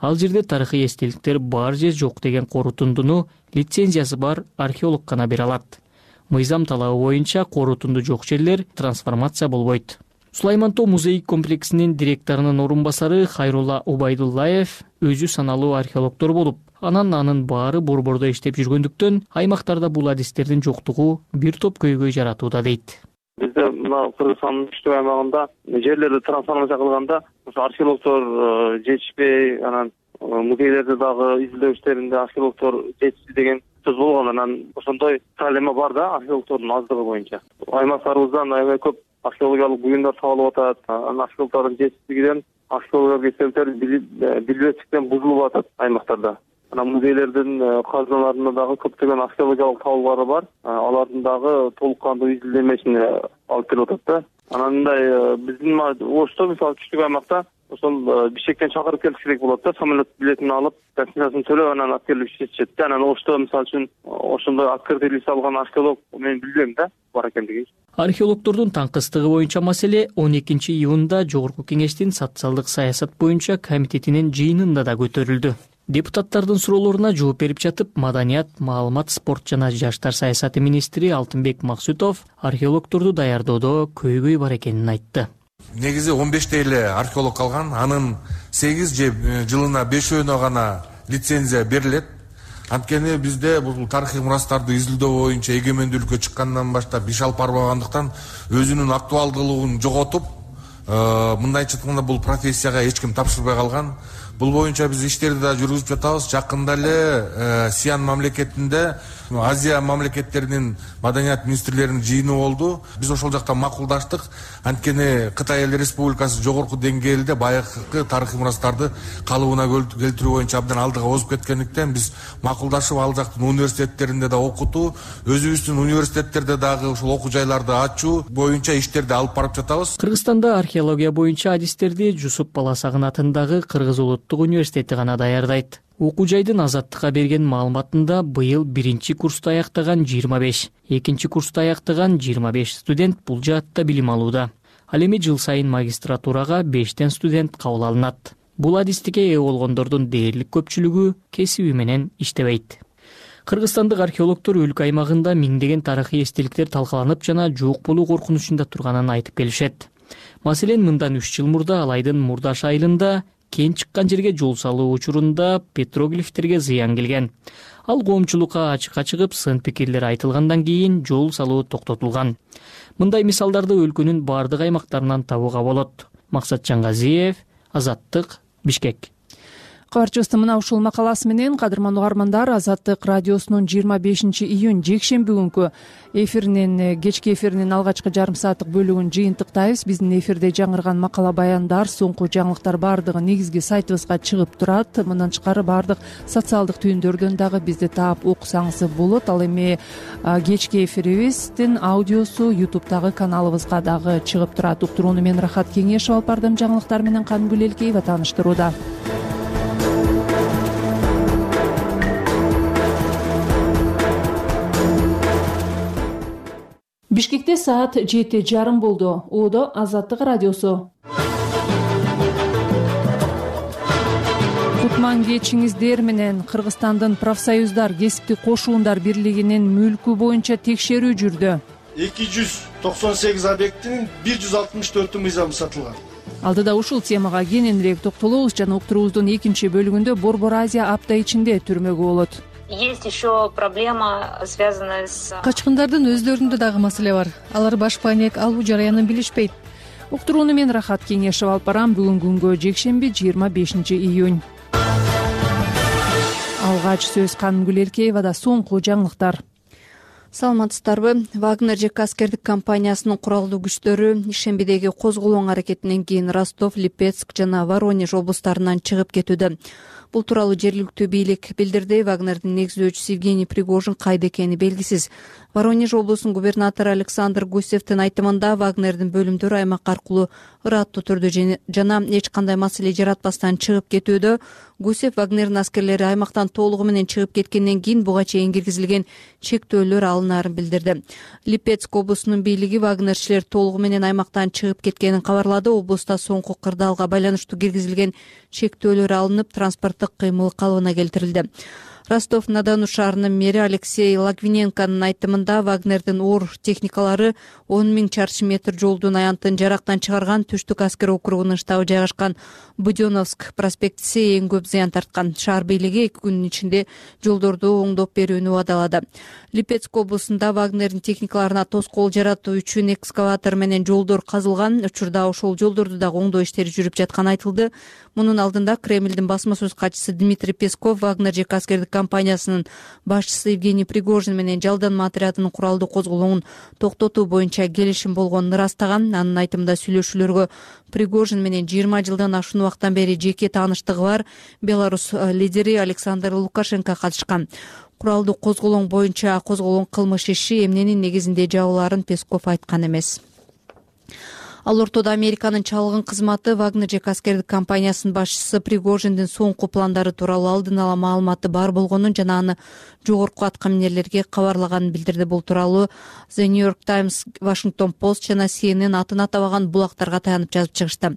Ал жерде тарыхый эстеликтер бар же жок деген корутундуну лицензиясы бар археолог гана бере алат. Мыйзам талабы боюнча корутунду жок жерлер трансформация болбойт. Сулайман Тоо музей комплексинин директорунун орун басары Хайрулла Убайдуллаев өзү саналуу археологтор болуп, анын баары борбордо иштеп жүргөндүктөн аймактарда бул адистердин жоктугу бир топ көйгөй жаратууда дейт. Бизде мына Кыргызстандын түштүк аймагында жерлерди трансформация кылганда ошо археологтор жетишпей, анан музейлерде дагы изилдөө иштеринде археологтор жетишти деген сөз болгон. Анан ошондой проблема бар да археологтордун аздыгы боюнча. Аймактарыбыздан аябай көп археологиялык буюмдар табылып атат. Анан археологтордун жетишсиздигинен археологиялык эстеликтер билбестиктен бузулуп атат аймактарда. Анан музейлердин казыналарында дагы көптөгөн археологиялык табуулары бар. Алардын дагы толук кандуу изилдемесине алып келип атат да. Анан мындай биздин Ошто мисалы түштүк аймакта ошол Бишкектен чакырып келиш керек болот да, самолет билетин алып, гостиницасын төлөп анан алып келип иштетишет да. Анан Ошто мисалы үчүн ошондой открытый лист алган археолог мен билбейм да, бар экендигин. Археологтордун таңкыстыгы боюнча маселе 12-июнда Жогорку Кеңештин социалдык саясат боюнча комитетинин жыйынында да көтөрүлдү. Депутаттардын суроолоруна жооп берип жатып, Маданият, маалымат, спорт жана жаштар саясаты министри Алтынбек Максутов археологторду даярдоодо көйгөй бар экенин айтты. Негизи 15 эле археолог калган, анын 8 же жылына 5-өөнө гана лицензия берилет. Анткени бизде бул тарыхый мурастарды изилдөө боюнча эгемендүүлүккө чыккандан баштап иш алып барбагандыктан өзүнүн актуалдуулугун жоготуп, мындайча айтканда бул профессияга эч ким тапшырбай калган. Бул боюнча биз иштерди да жүргүзүп жатабыз. Жакында эле Сиан мамлекетинде Азия мамлекеттеринин маданият министрлеринин жыйыны болду. Биз ошол жакта макулдаштык. Анткени Кытай Эл Республикасы жогорку деңгээлде баягы тарыхый мурастарды калыбына келтирүү боюнча абдан алдыга озуп кеткендиктен биз макулдашып ал жактын университеттеринде да окутуу, өзүбүздүн университеттерде дагы ушул окуу жайларды ачуу боюнча иштерди алып барып жатабыз. Кыргызстанда археология боюнча адистерди Жусуп Баласагын атындагы Кыргыз Улуттук университети гана даярдайт. Окуу жайдын Азаттыкка берген маалыматында быйыл 1-чи курсту аяктаган 25, 2-чи курсту аяктаган 25 студент бул жаатта билим алууда. Ал эми жыл сайын магистратурага 5 студент кабыл алынат. Бул адистикке ээ болгондордун дээрлик көпчүлүгү кесиби менен иштебейт. Кыргызстандык археологтор өлкө аймагында миңдеген тарыхый эстеликтер талкаланып жана жок болуу коркунучунда турганын айтып келишет. Маселен, мындан 3 жыл мурда Алайдын Мурдаш айылында кен чыккан жерге жол салуу учурунда петроглифтерге зыян келген. Ал коомчулукка ачыкка чыгып, сын пикирлер айтылгандан кийин жол салуу токтотулган. Мындай мисалдарды өлкөнүн бардык аймактарынан табууга болот. Максат Жангазиев, Азаттык, Бишкек. Кабарчыбыздын мына ушул макаласы менен кадырман угармандар Азаттык радиосунун 25 июнь жекшемби күнкү кечки эфиринин алгачкы жарым сааттык бөлүгүн жыйынтыктайбыз. Биздин эфирде жаңырган макала баяндар, соңку жаңылыктар баардыгы негизги сайтыбызга чыгып турат. Мындан тышкары баардык социалдык түйүндөрдөн дагы бизди таап окусаңыз болот. Ал эми кечки эфирибиздин аудиосу YouTube'дагы каналыбызга дагы чыгып турат. Уктурууну мен Рахат Кеңешов алып бардым. Жаңылыктар менен Канымгүл Элкеева тааныштырууда. Бишкекте саат 7:30 болду. Оодо Азаттык радиосу. Кутман кечиңиздер менен. Кыргызстандын профсоюздар кесиптик кошуундар бирлигинин мүлкү боюнча текшерүү жүрдү. 298 объектинин 164 мыйзамы сатылган. Алдыда ушул темага кененирээк токтолобуз жана уктуруубуздун экинчи бөлүгүндө Борбор Азия апта ичинде түрмөгө болот. Есть еще проблема, связанная с... Качкындардын өздөрүндө дагы маселе бар. Алар баш паек алуу жараянын билишпейт. Уктурууну мен Рахат Кеңешев алып барам. Бүгүн күнгө жекшемби 25 июнь. Алгач сөз Канымгүл Элкеевада. Соңку жаңылыктар. Саламатсыздарбы? Вагнер ЖК аскердик компаниясынын куралдуу күчтөрү ишембидеги козголоң аракетинен кийин Ростов, Липецк жана Воронеж облустарынан чыгып кетүүдө. Бул тууралуу жергиликтүү бийлик билдирди. Вагнердин негиздөөчүсү Евгений Пригожин кайда экени белгисиз. Воронеж облусунун губернатору Александр Гусевдин айтымында Вагнердин бөлүмдөрү аймак аркылуу ыраттуу түрдө жана эч кандай маселе жаратпастан чыгып кетүүдө. Гусев Вагнердин аскерлери аймактан толугу менен чыгып кеткенден кийин буга чейин киргизилген чектөөлөр алынаарын билдирди. Липецк облусунун бийлиги вагнерчилер толугу менен аймактан чыгып кеткенин кабарлады. Облуста соңку кырдаалга байланыштуу киргизилген чектөөлөр алынып, транспорттук кыймыл калыбына келтирилди. Ростов-на-Дону шаарынын мэри Алексей Логвиненконун айтымында Вагнердин оор техникалары 10 000 чарчы метр жолдун аянтын жарактан чыгарган. Түштүк аскер округунун штабы жайгашкан Будённовск проспектиси эң көп зыян тарткан. Шаар бийлиги 2 күнүн ичинде жолдорду оңдоп берүүнү убадалады. Липецк облусунда Вагнердин техникаларына тоскоол жаратуу үчүн экскаватор менен жолдор казылган. Учурда ошол жолдорду дагы оңдоо иштери жүрүп жатканы айтылды. Мунун алдында Кремлдин басма сөз катчысы Дмитрий Песков Вагнер ЖК аскердик компаниясынын башчысы Евгений Пригожин менен жалданма отрядынын куралдуу козголоңун токтотуу боюнча келишим болгонун ырастаган. Анын айтымында сүйлөшүүлөргө Пригожин менен 20 жылдан ашуун убакыттан бери жеке тааныштыгы бар Беларусь лидери Александр Лукашенко катышкан. Куралдуу козголоң боюнча козголгон кылмыш иши эмненин негизинде жабылаарын Песков айткан эмес. Ал ортодо Американын чалгын кызматы Вагнер ЖК аскердик компаниясынын башчысы Пригожиндин соңку пландары тууралуу алдын ала маалыматы бар болгонун жана аны жогорку аткаминерлерге кабарлаганын билдирди. Бул тууралуу The New York Times, Washington Post жана CNN атын атабаган булактарга таянып жазып чыгышты.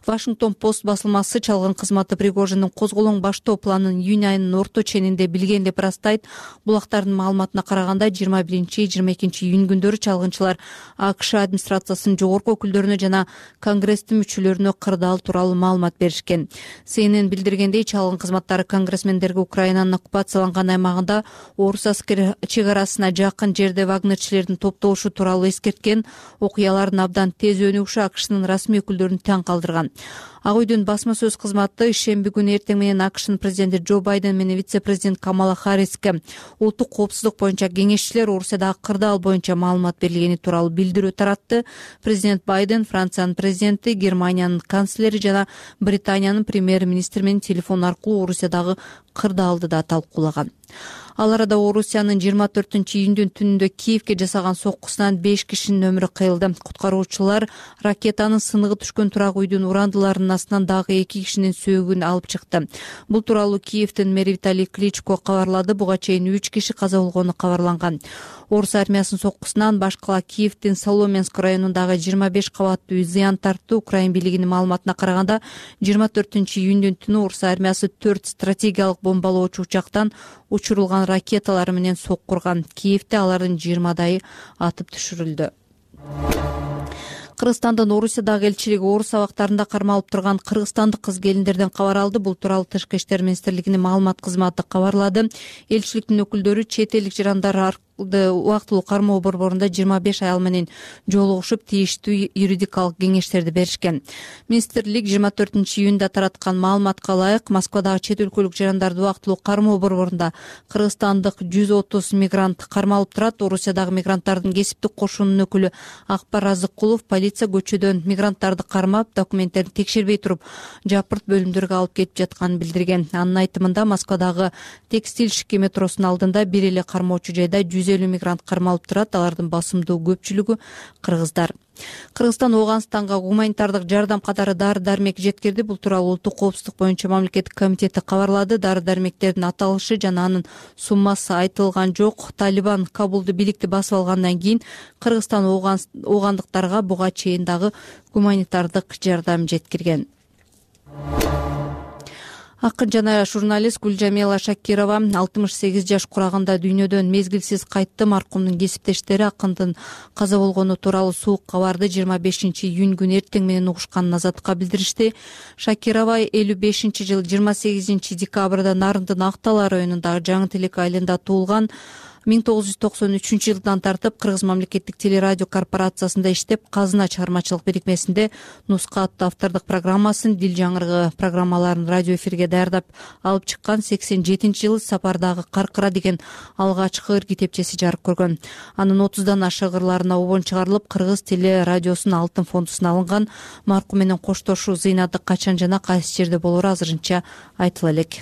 Washington Post басылмасы чалгын кызматы Пригожиндин козголоң баштоо планын июнь айынын орто ченинде билген деп ырастайт. Булактардын маалыматына караганда 21-22 июнь күндөрү чалгынчылар АКШ администрациясынын жогорку өкүлдөрүнө жана Конгресстин мүчөлөрүнө кырдаал тууралуу маалымат беришкен. CNN билдиргендей, чалгын кызматтары конгрессмендерге Украинанын оккупацияланган аймагында орус аскери чек арасына жакын жерде вагнерчилердин топтолушу тууралуу эскерткен. Окуялардын абдан тез өнүгүшү АКШнын расмий өкүлдөрүн таң калтырган. Ак үйдүн басма сөз кызматы ишемби күнү эртең менен АКШнын президенти Джо Байден менен вице-президент Камала Харриске улуттук коопсуздук боюнча кеңешчилер Орусиядагы кырдаал боюнча маалымат бергени тууралуу билдирүү таратты. Президент Байден Франциянын президенти, Германиянын канцлери жана Британиянын премьер-министри менен телефон аркылуу Орусиядагы кырдаалды да талкуулаган. Ал арада Орусиянын 24-июндүн түнүндө Киевке жасаган соккусунан 5 кишинин өмүрү кыйылды. Куткаруучулар ракетанын сыныгы түшкөн турак үйдүн урандыларынын астынан дагы 2 кишинин сөөгүн алып чыкты. Бул тууралуу Киевдин мэри Виталий Кличко кабарлады. Буга чейин 3 киши каза болгону кабарланган. Орус армиясынын соккусунан башкала Киевдин Соломенск районундагы 25 кабаттуу үй зыян тартты. Украин бийлигинин маалыматына караганда 24-июндүн түнү Орус армиясы 4 стратегиялык бомбалоочу учактан учурулган ракеталар менен соккурган. Киевде алардын 20дайы атып түшүрүлдү. Кыргызстандын Орусиядагы элчилиги орус абактарында кармалып турган кыргызстандык кыз келиндерден кабар алды. Бул тууралуу Тышкы иштер министрлигинин маалымат кызматы кабарлады. Элчиликтин өкүлдөрү чет элдик жарандар убактылуу кармоо борборунда 25 аял менен жолугушуп тийиштүү юридикалык кеңештерди беришкен. Министрлик 24-июнда тараткан маалыматка ылайык Москвадагы чет өлкөлүк жарандарды убактылуу кармоо борборунда кыргызстандык 130 мигрант кармалып турат. Орусиядагы мигранттардын кесиптик кошунунун өкүлү Акбар Азыккулов полиция көчөдөн мигранттарды кармап, документтерин текшербей туруп, жапырт бөлүмдөргө алып кетип жатканын билдирген. Анын айтымында Москвадагы Текстиль Шики метросунун алдында бир эле кармоочу жайда 150 мигрант кармалып турат. Алардын басымдуу көпчүлүгү кыргыздар. Кыргызстан Ооганстанга гуманитардык жардам катары дары-дармек жеткирди. Бул тууралуу Улуттук коопсуздук боюнча мамлекеттик комитети кабарлады. Дары-дармектердин аталышы жана анын суммасы айтылган жок. Талибан Кабулду бийликти басып алгандан кийин Кыргызстан оогандыктарга буга чейин дагы гуманитардык жардам жеткирген. Акын жана журналист Гүлжамила Шакирова 68 жаш курагында дүйнөдөн мезгилсиз кайтты. Маркумдун кесиптештери акындын каза болгону тууралуу суук кабарды 25-июнь күнү эртең менен угушканын Азаттыкка билдиришти. Шакирова 55-жыл 28-декабрда Нарындын Актал районундагы Жаңы Телек айылында туулган. 1993-жылдан тартып Кыргыз мамлекеттик телерадио корпорациясында иштеп, Казына чыгармачылык бирикмесинде Нуска аттуу автордук программасын, Дил жаңырыгы программаларын радио эфирге даярдап алып чыккан. 87-жылы Сапардагы Каркыра деген алгачкы ыр китепчеси жарык көргөн. Анын 30дан ашык ырларына обон чыгарылып, Кыргыз телерадиосунун алтын фондусуна алынган. Маркум менен коштошуу зыйнаты качан жана кайсы жерде болору азырынча айтыла элек.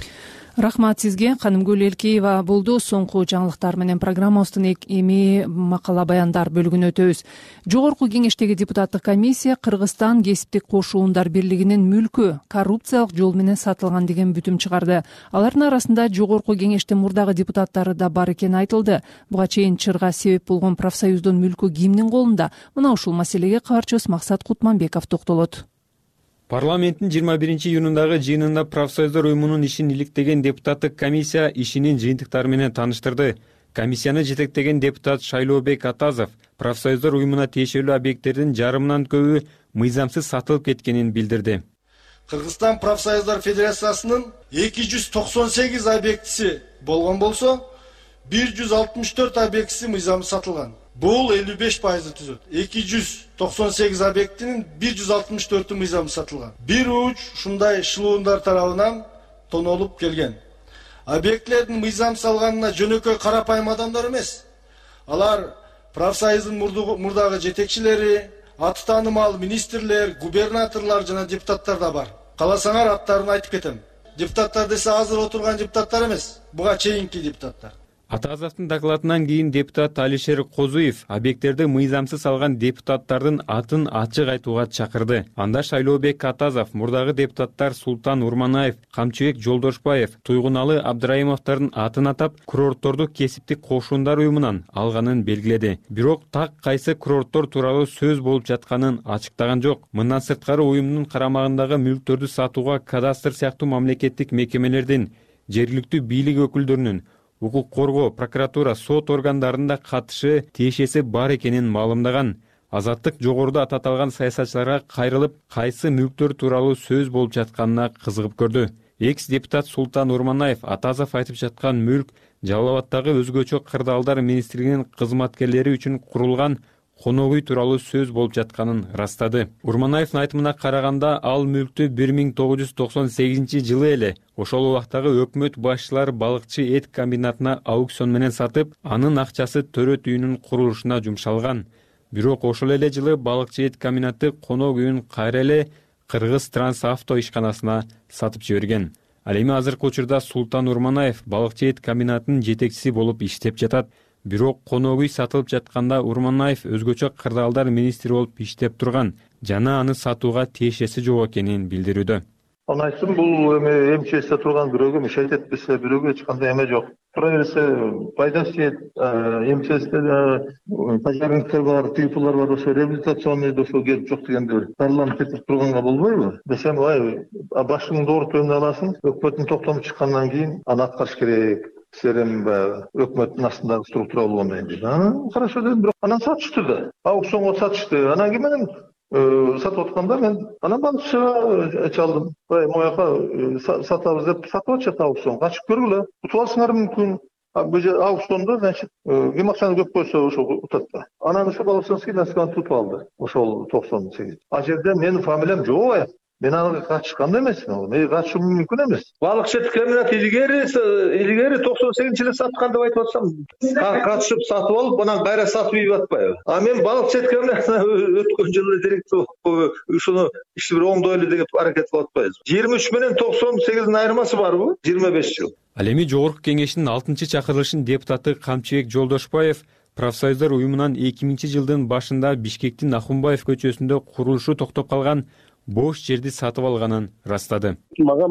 Рахмат сизге. Канымгүл Элкеева болду. Соңку жаңылыктар менен программабыздын эми макала баяндар бөлүгүнө өтөбүз. Жогорку кеңештеги депутаттык комиссия Кыргызстан кесиптик кошуундар бирлигинин мүлкү коррупциялык жол менен сатылган деген бүтүм чыгарды. Алардын арасында жогорку кеңештин мурдагы депутаттары да бар экени айтылды. Буга чейин чырга себеп болгон профсоюздун мүлкү кимдин колунда? Мына ушул маселеге кабарчыбыз Максат Кутманбеков токтолот. Парламенттин 21-июнундагы жыйынында профсоюздар уюмунун ишин иликтеген депутаттык комиссия ишинин жыйынтыктары менен тааныштырды. Комиссияны жетектеген депутат Шайлообек Атазов профсоюздар уюмуна тиешелүү объекттердин жарымынан көбү мыйзамсыз сатылып кеткенин билдирди. Кыргызстан профсоюздар федерациясынын 298 объектиси болгон болсо, 164 объектиси мыйзамсыз сатылган. Бул 55% түзөт. 298 объектинин 164 мыйзамсыз сатылган. Бир уч ушундай шылуундар тарабынан тонолуп келген. Объектлердин мыйзамсыз алганына жөнөкөй карапайым адамдар эмес. Алар профсоюздун мурдагы жетекчилери, аты таанымал министрлер, губернаторлор жана депутаттар да бар. Кааласаңар аттарын айтып кетем. Депутаттар десе азыр отурган депутаттар эмес, буга чейинки депутаттар. Атазовдун докладынан кийин депутат Алишер Козуев объекттерди мыйзамсыз алган депутаттардын атын ачык айтууга чакырды. Анда Шайлообек Атазов, мурдагы депутаттар Султан Урманаев, Камчыбек Жолдошбаев, Туйгуналы Абдраимовдордун атын атап, курортторду кесиптик кошуундар уюмунан алганын белгиледи. Бирок так кайсы курорттор тууралуу сөз болуп жатканын ачыктаган жок. Мындан сырткары уюмдун карамагындагы мүлктөрдү сатууга кадастр сыяктуу мамлекеттик мекемелердин, жергиликтүү бийлик өкүлдөрүнүн, укук коргоо, прокуратура, сот органдарында катышы тиешеси бар экенин маалымдаган. Азаттык жогоруда аталган саясатчыларга кайрылып, кайсы мүлктөр тууралуу сөз болуп жатканына кызыгып көрдү. Экс-депутат Султан Урманаев Атазов айтып жаткан мүлк Жалал Абадтагы өзгөчө кырдаалдар министрлигинин кызматкерлери үчүн курулган конок үй тууралуу сөз болуп жатканын ырастады. Урманаевдин айтымына караганда, ал мүлктү 1998-жылы эле ошол убактагы өкмөт башчылары балыкчы эт комбинатына аукцион менен сатып, анын акчасы төрөт үйүнүн курулушуна жумшалган. Бирок ошол эле жылы балыкчы эт комбинаты конок үйүн кайра эле Кыргыз Трансавто ишканасына сатып жиберген. Ал эми азыркы учурда Султан Урманаев балыкчы эт комбинатынын жетекчиси болуп иштеп жатат. Бирок конок үй сатылып жатканда Урманаев өзгөчө кырдаалдар министри болуп иштеп турган жана аны сатууга тиешеси жок экенин билдирүүдө. Аны айтсам, бул эми МЧСте турган бирөөгө мишайт этпесе, бирөөгө эч кандай эме жок. Тура берсе, пайдасы тиет, МЧСте пожарниктер бар, тыйпулар бар, ошо реабилитационный ошо келип жок дегенде парламент кетип турганга болбойбу? Десем, башыңды оорутуп эмне аласың, өкмөттүн токтому чыккандан кийин аны аткарыш керек. Силер эми өкмөттүн астындагы структура болгондон кийин. Хорошо дедим, бирок анан сатышты да. Аукционго сатышты. Анан кийин менен сатып атканда мен анан балыкчыга чалдым. Мояка сатабыз деп сатып атышат аукцион. Качып көргүлө. Утуп алышыңар мүмкүн. аукциондо, значит, ким акчаны көп койсо ошо утат да. Анан ошо Балашовский насканы тутуп алды. Ошол 98. А жерде менин фамилиям жок ая. Мен ага катышкан да эмесмин. Мен катышым мүмкүн эмес. Балык четкеминат илгери 98-жылы саткан деп айтып атсам, катышып сатып алып, анан кайра сатып ийип атпайбы? А мен балык четкеминат өткөн жылы директор ушуну ишти бир оңдой эле деп аракет кылып атпайбыз. 23 менен 98-дин айырмасы барбы? 25 жыл. Ал эми жогорку кеңештин 6-чакырылышын депутаты Камчыбек Жолдошбаев профсоюздар уюмунан 2000-жылдын башында Бишкектин Ахунбаев көчөсүндө курулушу токтоп калган бош жерди сатып алганын ырастады. Мага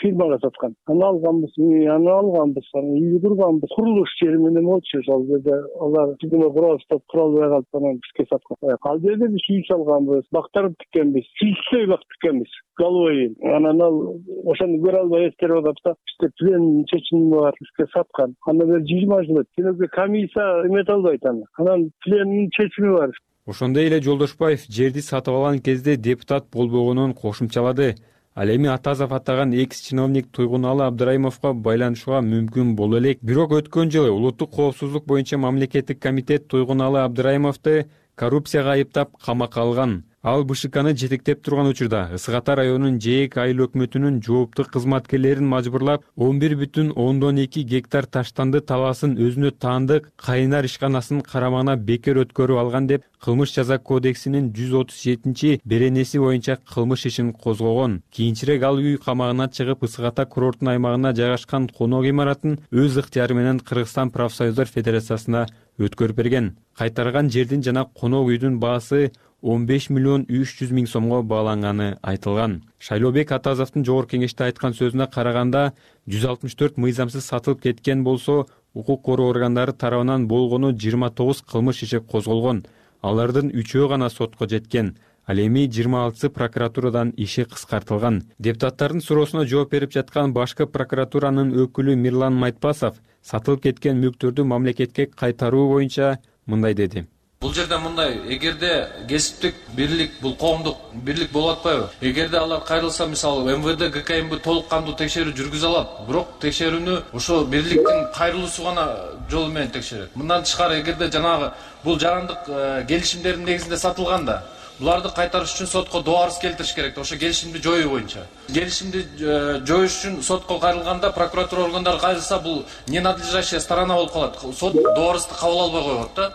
фирмага саткан. Аны алганбыз, үйгө турганбыз. Курулуш жери менен болчу ошол жерде. Алар тигине куралыштап куралбай калып анан бизге саткан. Ал жерде биз үй салганбыз, бактарды тиккенбиз, сүйүктөй бак тиккенбиз. Головой. Анан ал ошону көрө албай эскерип атып да, бизде плен чечими бар, бизге саткан. Андан бери 20 жыл өттү. Кенеге комиссия эмете албайт аны. Анан пленин чечими бар. Ошондой эле Жолдошбаев жерди сатып алган кезде депутат болбогонун кошумчалады. Ал эми Атазов атаган экс-чиновник Туйгуналы Абдыраимовго байланышууга мүмкүн боло элек. Бирок өткөн жылы улуттук коопсуздук боюнча мамлекеттик комитет Туйгуналы Абдыраимовду коррупцияга айыптап камакка алган. Ал БШКны жетектеп турган учурда Ысык Ата районунун ЖЭК айыл өкмөтүнүн жоопту кызматкерлерин мажбурлап 11,2 гектар таштанды талаасын өзүнө таандык кайнар ишканасын карамагына бекер өткөрүп алган деп Кылмыш жаза кодексинин 137 беренеси боюнча кылмыш ишин козгогон. Кийинчерээк ал үй камагына чыгып Ысык Ата курорттун аймагына жайгашкан конок имаратын өз ыктыяры менен Кыргызстан профсоюздар федерациясына өткөрүп берген. Кайтарган жердин жана конок үйдүн баасы 15,3 миллион сомго бааланганы айтылган. Шайлообек Атазовдун жогорку кеңеште айткан сөзүнө караганда 164 мыйзамсыз сатылып кеткен болсо, укук коргоо органдары тарабынан болгону 29 кылмыш иши козголгон. Алардын 3-өө гана сотко жеткен. Ал эми 26 прокуратурадан иши кыскартылган. Депутаттардын суроосуна жооп берип жаткан башкы прокуратуранын өкүлү Мирлан Майтпасов сатылып кеткен мүлктөрдү мамлекетке кайтаруу боюнча мындай деди. Бул жерде мындай, эгерде кесиптик бирлик, бул коомдук бирлик болуп атпайбы? Эгерде алар кайрылса, мисалы МВД, ГКМБ толук кандуу текшерүү жүргүзө алат, бирок текшерүүнү ошо бирликтин кайрылуусу гана жолу менен текшерет. Мындан тышкары, эгерде жанагы бул жарандык келишимдердин негизинде сатылганда, буларды кайтарыш үчүн сотко доо арыз келтириш керек. Ошо келишимди жоюу боюнча. Келишимди жоюш үчүн сотко кайрылганда, прокуратура органдары кайрылса, бул ненадлежащая сторона болуп калат. Сот доо арызды кабыл албай коет да.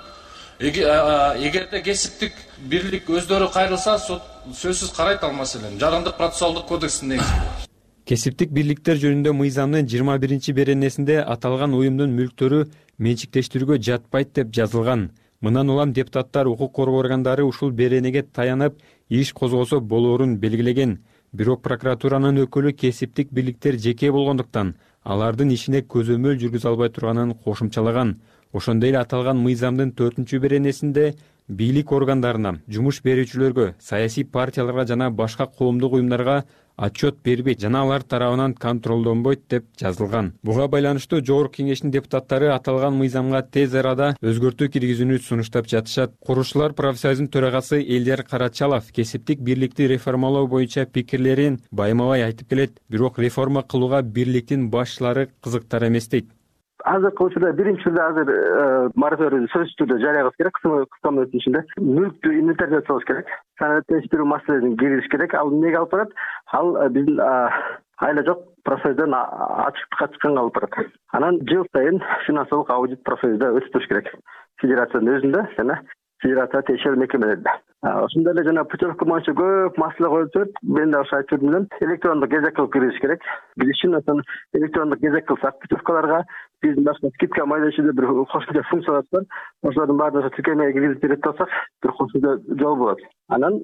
Эгерде кесиптик бирлик өздөрү кайрылса, сот сөзсүз карайт ал маселени. Жарандык процессуалдык кодекстин негизинде. Кесиптик бирликтер жөнүндө мыйзамдын 21 беренесинде аталган уюмдун мүлктөрү менчиктештирүүгө жатпайт деп жазылган. Мындан улам депутаттар укук коргоо органдары ушул беренеге таянып иш козгосо болоорун белгилеген. Бирок прокуратуранын өкүлү кесиптик бирликтер жеке болгондуктан алардын ишине көзөмөл жүргүзө албай турганын кошумчалаган. Ошондой эле аталган мыйзамдын 4 беренесинде бийлик органдарына, жумуш берүүчүлөргө, саясий партияларга жана башка коомдук уюмдарга отчет бербейт жана алар тарабынан контролдонбойт деп жазылган. Буга байланыштуу жогорку кеңештин депутаттары аталган мыйзамга тез арада өзгөртүү киргизүүнү сунуштап жатышат. Курушчулар профсоюзунун төрагасы Элдер Карачалов кесиптик бирликти реформалоо боюнча пикирлерин байма-бай айтып келет, бирок реформа кылууга бирликтин башчылары кызыктар эмес дейт. Азыркы учурда биринчи азыр мораторийди сөзсүз түрдө жарыябыз керек, кыска мөөнөттүн ичинде. Мүлктү инвентаризациялаш керек, санаттештирүү маселелерин киргизиш керек. Ал эмнеге алып барат? Ал биздин айла жок профсоюздан ачыктыкка чыкканга алып барат. Анан жыл сайын финансылык аудит профсоюзда өтүп туруш керек. Федерациянын өзүндө жана федерация текшерүү мекемелеринде. Ошондой эле жана путевка боюнча көп маселе коюлуп жүрөт. Мен да ошо айтып жүрдүм, электрондук кезек кылып киргизиш керек. Биз үчүн электрондук кезек кылсак, путевкаларга биздин башка скидка майдайчыда бир кошумча функциялар бар. Ошолордун баарын тиркемеге киргизип берет болсак, бир кошумча жол болот. Анан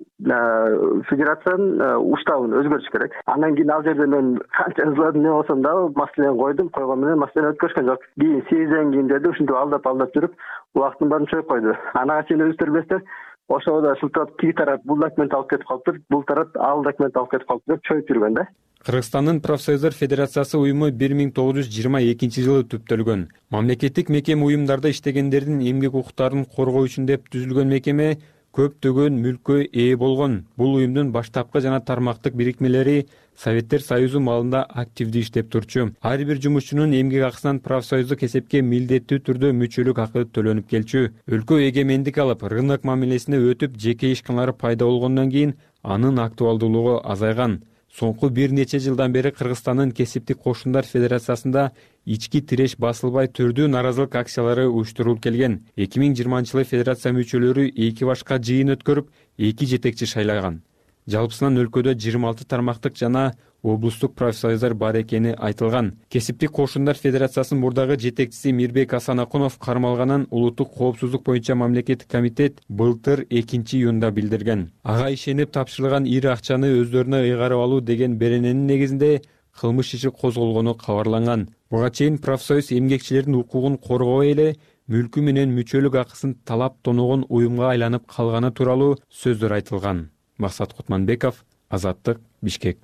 федерациянын уставын өзгөртүш керек. Андан кийин ал жерде мен канча ызладым, эмне болсом да маселени койгон менен маселе өткөрүшкөн жок. Кийин сезден кийин деди, ушинтип алдап жүрүп, убактын баарын чоюп койду. Анага чейин өзүңүздөр билесиздер, ошода шылтап тиги тарап бул документ алып кетип калыптыр, бул тарап ал документ алып кетип калыптыр деп чоюп жүргөн да. Кыргызстандын профсоюздар федерациясы уюму 1922 жылы түптөлгөн. Мамлекеттик мекеме уюмдарда иштегендердин эмгек укуктарын коргоо үчүн деп түзүлгөн мекеме көптөгөн мүлккө ээ болгон. Бул уюмдун баштапкы жана тармактык бирикмелери Советтер Союзу маалында активдүү иштеп турчу. Ар бир жумушчунун эмгек акысынан профсоюздук эсепке милдеттүү түрдө мүчөлүк акы төлөнүп келчү. Өлкө эгемендик алып, рынок мамилесине өтүп, жеке ишканалар пайда болгондон кийин анын актуалдуулугу азайган. Соңку бир нече жылдан бери Кыргызстандын Кесиптик кошундар федерациясында ички тиреш басылбай түрдүү наразылык акциялары уюштурулуп келген. 2020-жылы федерация мүчөлөрү 2 башка жыйын өткөрүп, 2 жетекчи шайлаган. Жалпысынан өлкөдө 26 тармактык жана облустук профсоюздар бар экени айтылган. Кесиптик кошундар федерациясынын мурдагы жетекчиси Мирбек Асанакунов кармалганын улуттук коопсуздук боюнча мамлекеттик комитет былтыр 2-июнда билдирген. Ага ишенип тапшырылган ири акчаны өздөрүнө ыйгарып алуу деген берененин негизинде кылмыш иши козголгону кабарланган. Буга чейин профсоюз эмгекчилердин укугун коргобой эле мүлкү менен мүчөлүк акысын талап тоногон уюмга айланып калганы тууралуу сөздөр айтылган. Максат Кутманбеков, Азаттык, Бишкек.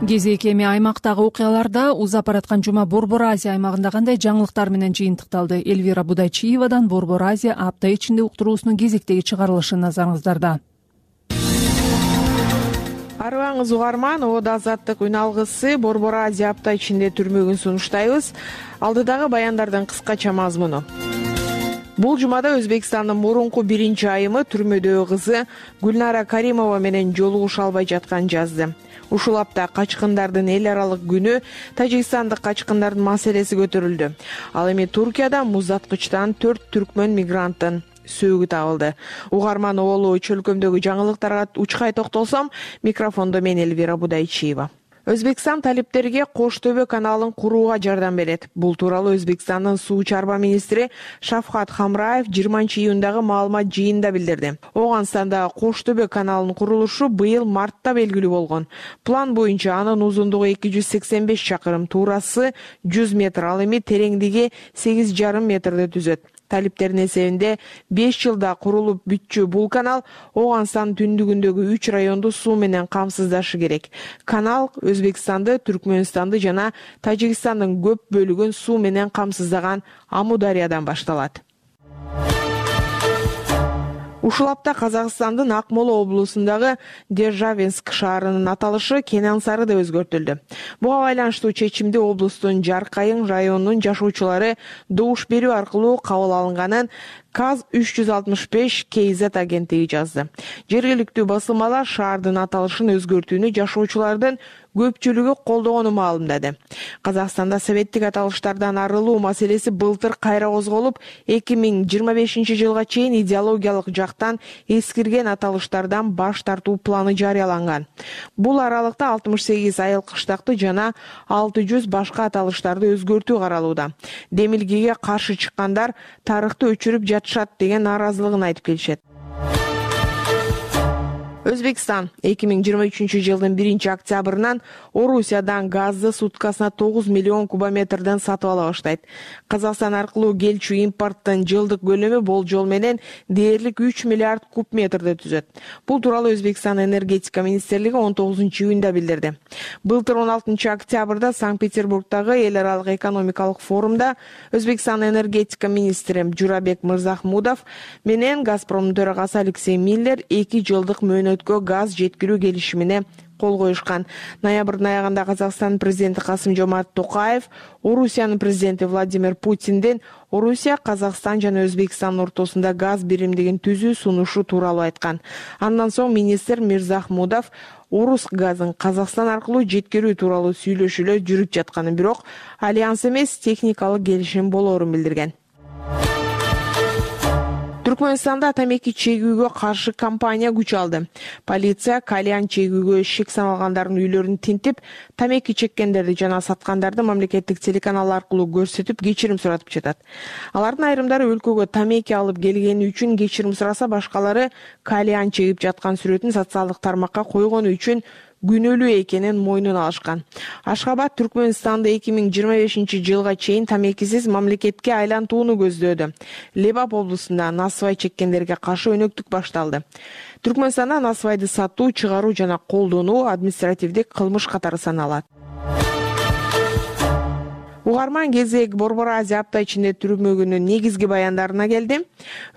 Кезек эми аймактагы окуяларда узап бараткан жума Борбор Азия аймагында кандай жаңылыктар менен жыйынтыкталды? Элвира Будайчиевадан Борбор Азия апта ичинде уктуруусунун кезектеги чыгарылышы назарыңыздарда. Арыбаңыз угарман, Ода Азаттык үн алгысы Борбор Азия апта ичинде түрмөгүн сунуштайбыз. Алдыдагы баяндардын кыскача мазмуну. Бул жумада Өзбекстандын мурунку биринчи айымы түрмөдөгү кызы Гүлнара Каримова менен жолугуша албай жаткан жазды. Ушул апта качкындардын эл аралык күнү, тажикстандык качкындардын маселеси көтөрүлдү. Ал эми Туркияда муздаткычтан 4 түркмөн мигранттын сөөгү табылды. Угарман оолу чөлкөмдөгү жаңылыктарга учкай токтолсом, микрофондо мен Элвира Будайчиева. Өзбекстан талиптерге Кош Төбө каналын курууга жардам берет. Бул тууралуу Өзбекстандын суу чарба министри Шафкат Хамраев 20-июндагы маалымат жыйынында билдирди. Ооганстанда Кош Төбө каналынын курулушу быйыл мартта белгилүү болгон. План боюнча анын узундугу 285 чакырым, туурасы 100 метр, ал эми тереңдиги 8,5 метрди түзөт. Талиптердин эсебинде 5 жылда курулуп бүтчү бул канал Ооганстандын түндүгүндөгү 3 районду суу менен камсыздашы керек. Канал Өзбекстанды, Түркмөнстанды жана Тажикстандын көп бөлүгүн суу менен камсыздаган Амудариядан башталат. Ушул апта Казакстандын Акмола облусундагы Державинск шаарынын аталышы Кенен Сары деп өзгөртүлдү. Буга байланыштуу чечимди облустун Жаркайың районунун жашоочулары добуш берүү аркылуу кабыл алынганын КАЗ 365 KZ агенттиги жазды. Жергиликтүү басылмалар шаардын аталышын өзгөртүүнү жашоочулардын көпчүлүгү колдогону маалымдады. Казакстанда советтик аталыштардан арылуу маселеси былтыр кайра козголуп, 2025 жылга чейин идеологиялык жактан эскирген аталыштардан баш тартуу планы жарыяланган. Бул аралыкта 68 айыл кыштакты жана 600 башка аталыштарды өзгөртүү каралууда. Демилгеге каршы чыккандар тарыхты өчүрүп жатышат деген наразылыгын айтып келишет. Өзбекстан 2023 жылдын 1-октябрынан Орусиядан газды суткасына 9 миллион кубометрден сатып ала баштайт. Казакстан аркылуу келчү импорттун жылдык көлөмү болжол менен дээрлик 3 миллиард куб метрди түзөт. Бул тууралуу Өзбекстан энергетика министрлиги 19-июнда билдирди. Былтыр 16 октябрда Санкт-Петербургдагы эл аралык экономикалык форумда Өзбекстан энергетика министри Журабек Мырзахмудов менен Газпромдун төрагасы Алексей Миллер 2 жылдык мөөнөткө газ жеткирүү келишимине кол коюшкан. Ноябрдын аягында Казакстан президенти Касым-Жомарт Токаев Орусиянын президенти Владимир Путинден Орусия, Казакстан жана Өзбекстан ортосунда газ биримдигин түзүү сунушу тууралуу айткан. Андан соң министр Мирзахмудов Орус газын Казакстан аркылуу жеткирүү тууралуу сүйлөшүүлөр жүрүп жатканын, бирок альянс эмес техникалык келишим болоорун билдирген. Түркмөнстанда тамеки чегүүгө каршы кампания күч алды. Полиция кальян чегүүгө шек саналгандардын үйлөрүн тинтип, тамеки чеккендерди жана саткандарды мамлекеттик телеканал аркылуу көрсөтүп, кечирим суратып жатат. Алардын айрымдары өлкөгө тамеки алып келгени үчүн кечирим сураса, башкалары кальян чегип жаткан сүрөтүн социалдык тармакка койгону үчүн күнөөлүү экенин мойнуна алышкан. Ашхабад Түркмөнстанды 2025 жылга чейин тамекисиз мамлекетке айлантууну көздөөдү. Лебап облусунда насыбай чеккендерге каршы өнөктүк башталды. Түркмөнстанда насыбайды сатуу, чыгаруу жана колдонуу административдик кылмыш катары саналат. угарман кезек Борбор Азия апта ичинде түрмөгүнүн негизги баяндарына келди.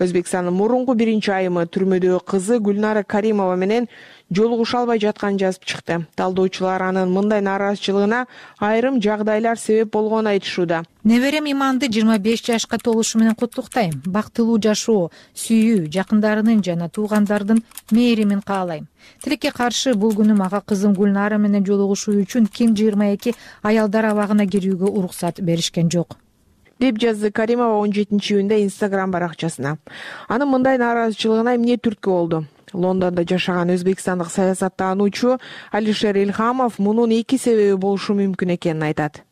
Өзбекстандын мурунку биринчи айымы түрмөдөгү кызы Гүлнара Каримова менен жолугуша албай жатканын жазып чыкты. Талдоочулар анын мындай нааразычылыгына айрым жагдайлар себеп болгонун айтышууда. Неберем Иманды 25 жашка толушу менен куттуктайм. Бактылуу жашоо, сүйүү, жакындарынын жана туугандардын мээримин каалайм. Тилекке каршы бул күнү мага кызым Гүлнара менен жолугушуу үчүн ким 22 аялдар абагына кирүүгө уруксат беришкен жок, деп жазды Каримова 17-июнда Instagram баракчасына. Анын мындай нааразычылыгына эмне түрткү болду? Лондондо жашаган өзбекстандык саясаттануучу Алишер Илхамов мунун эки себеби болушу мүмкүн экенин айтат.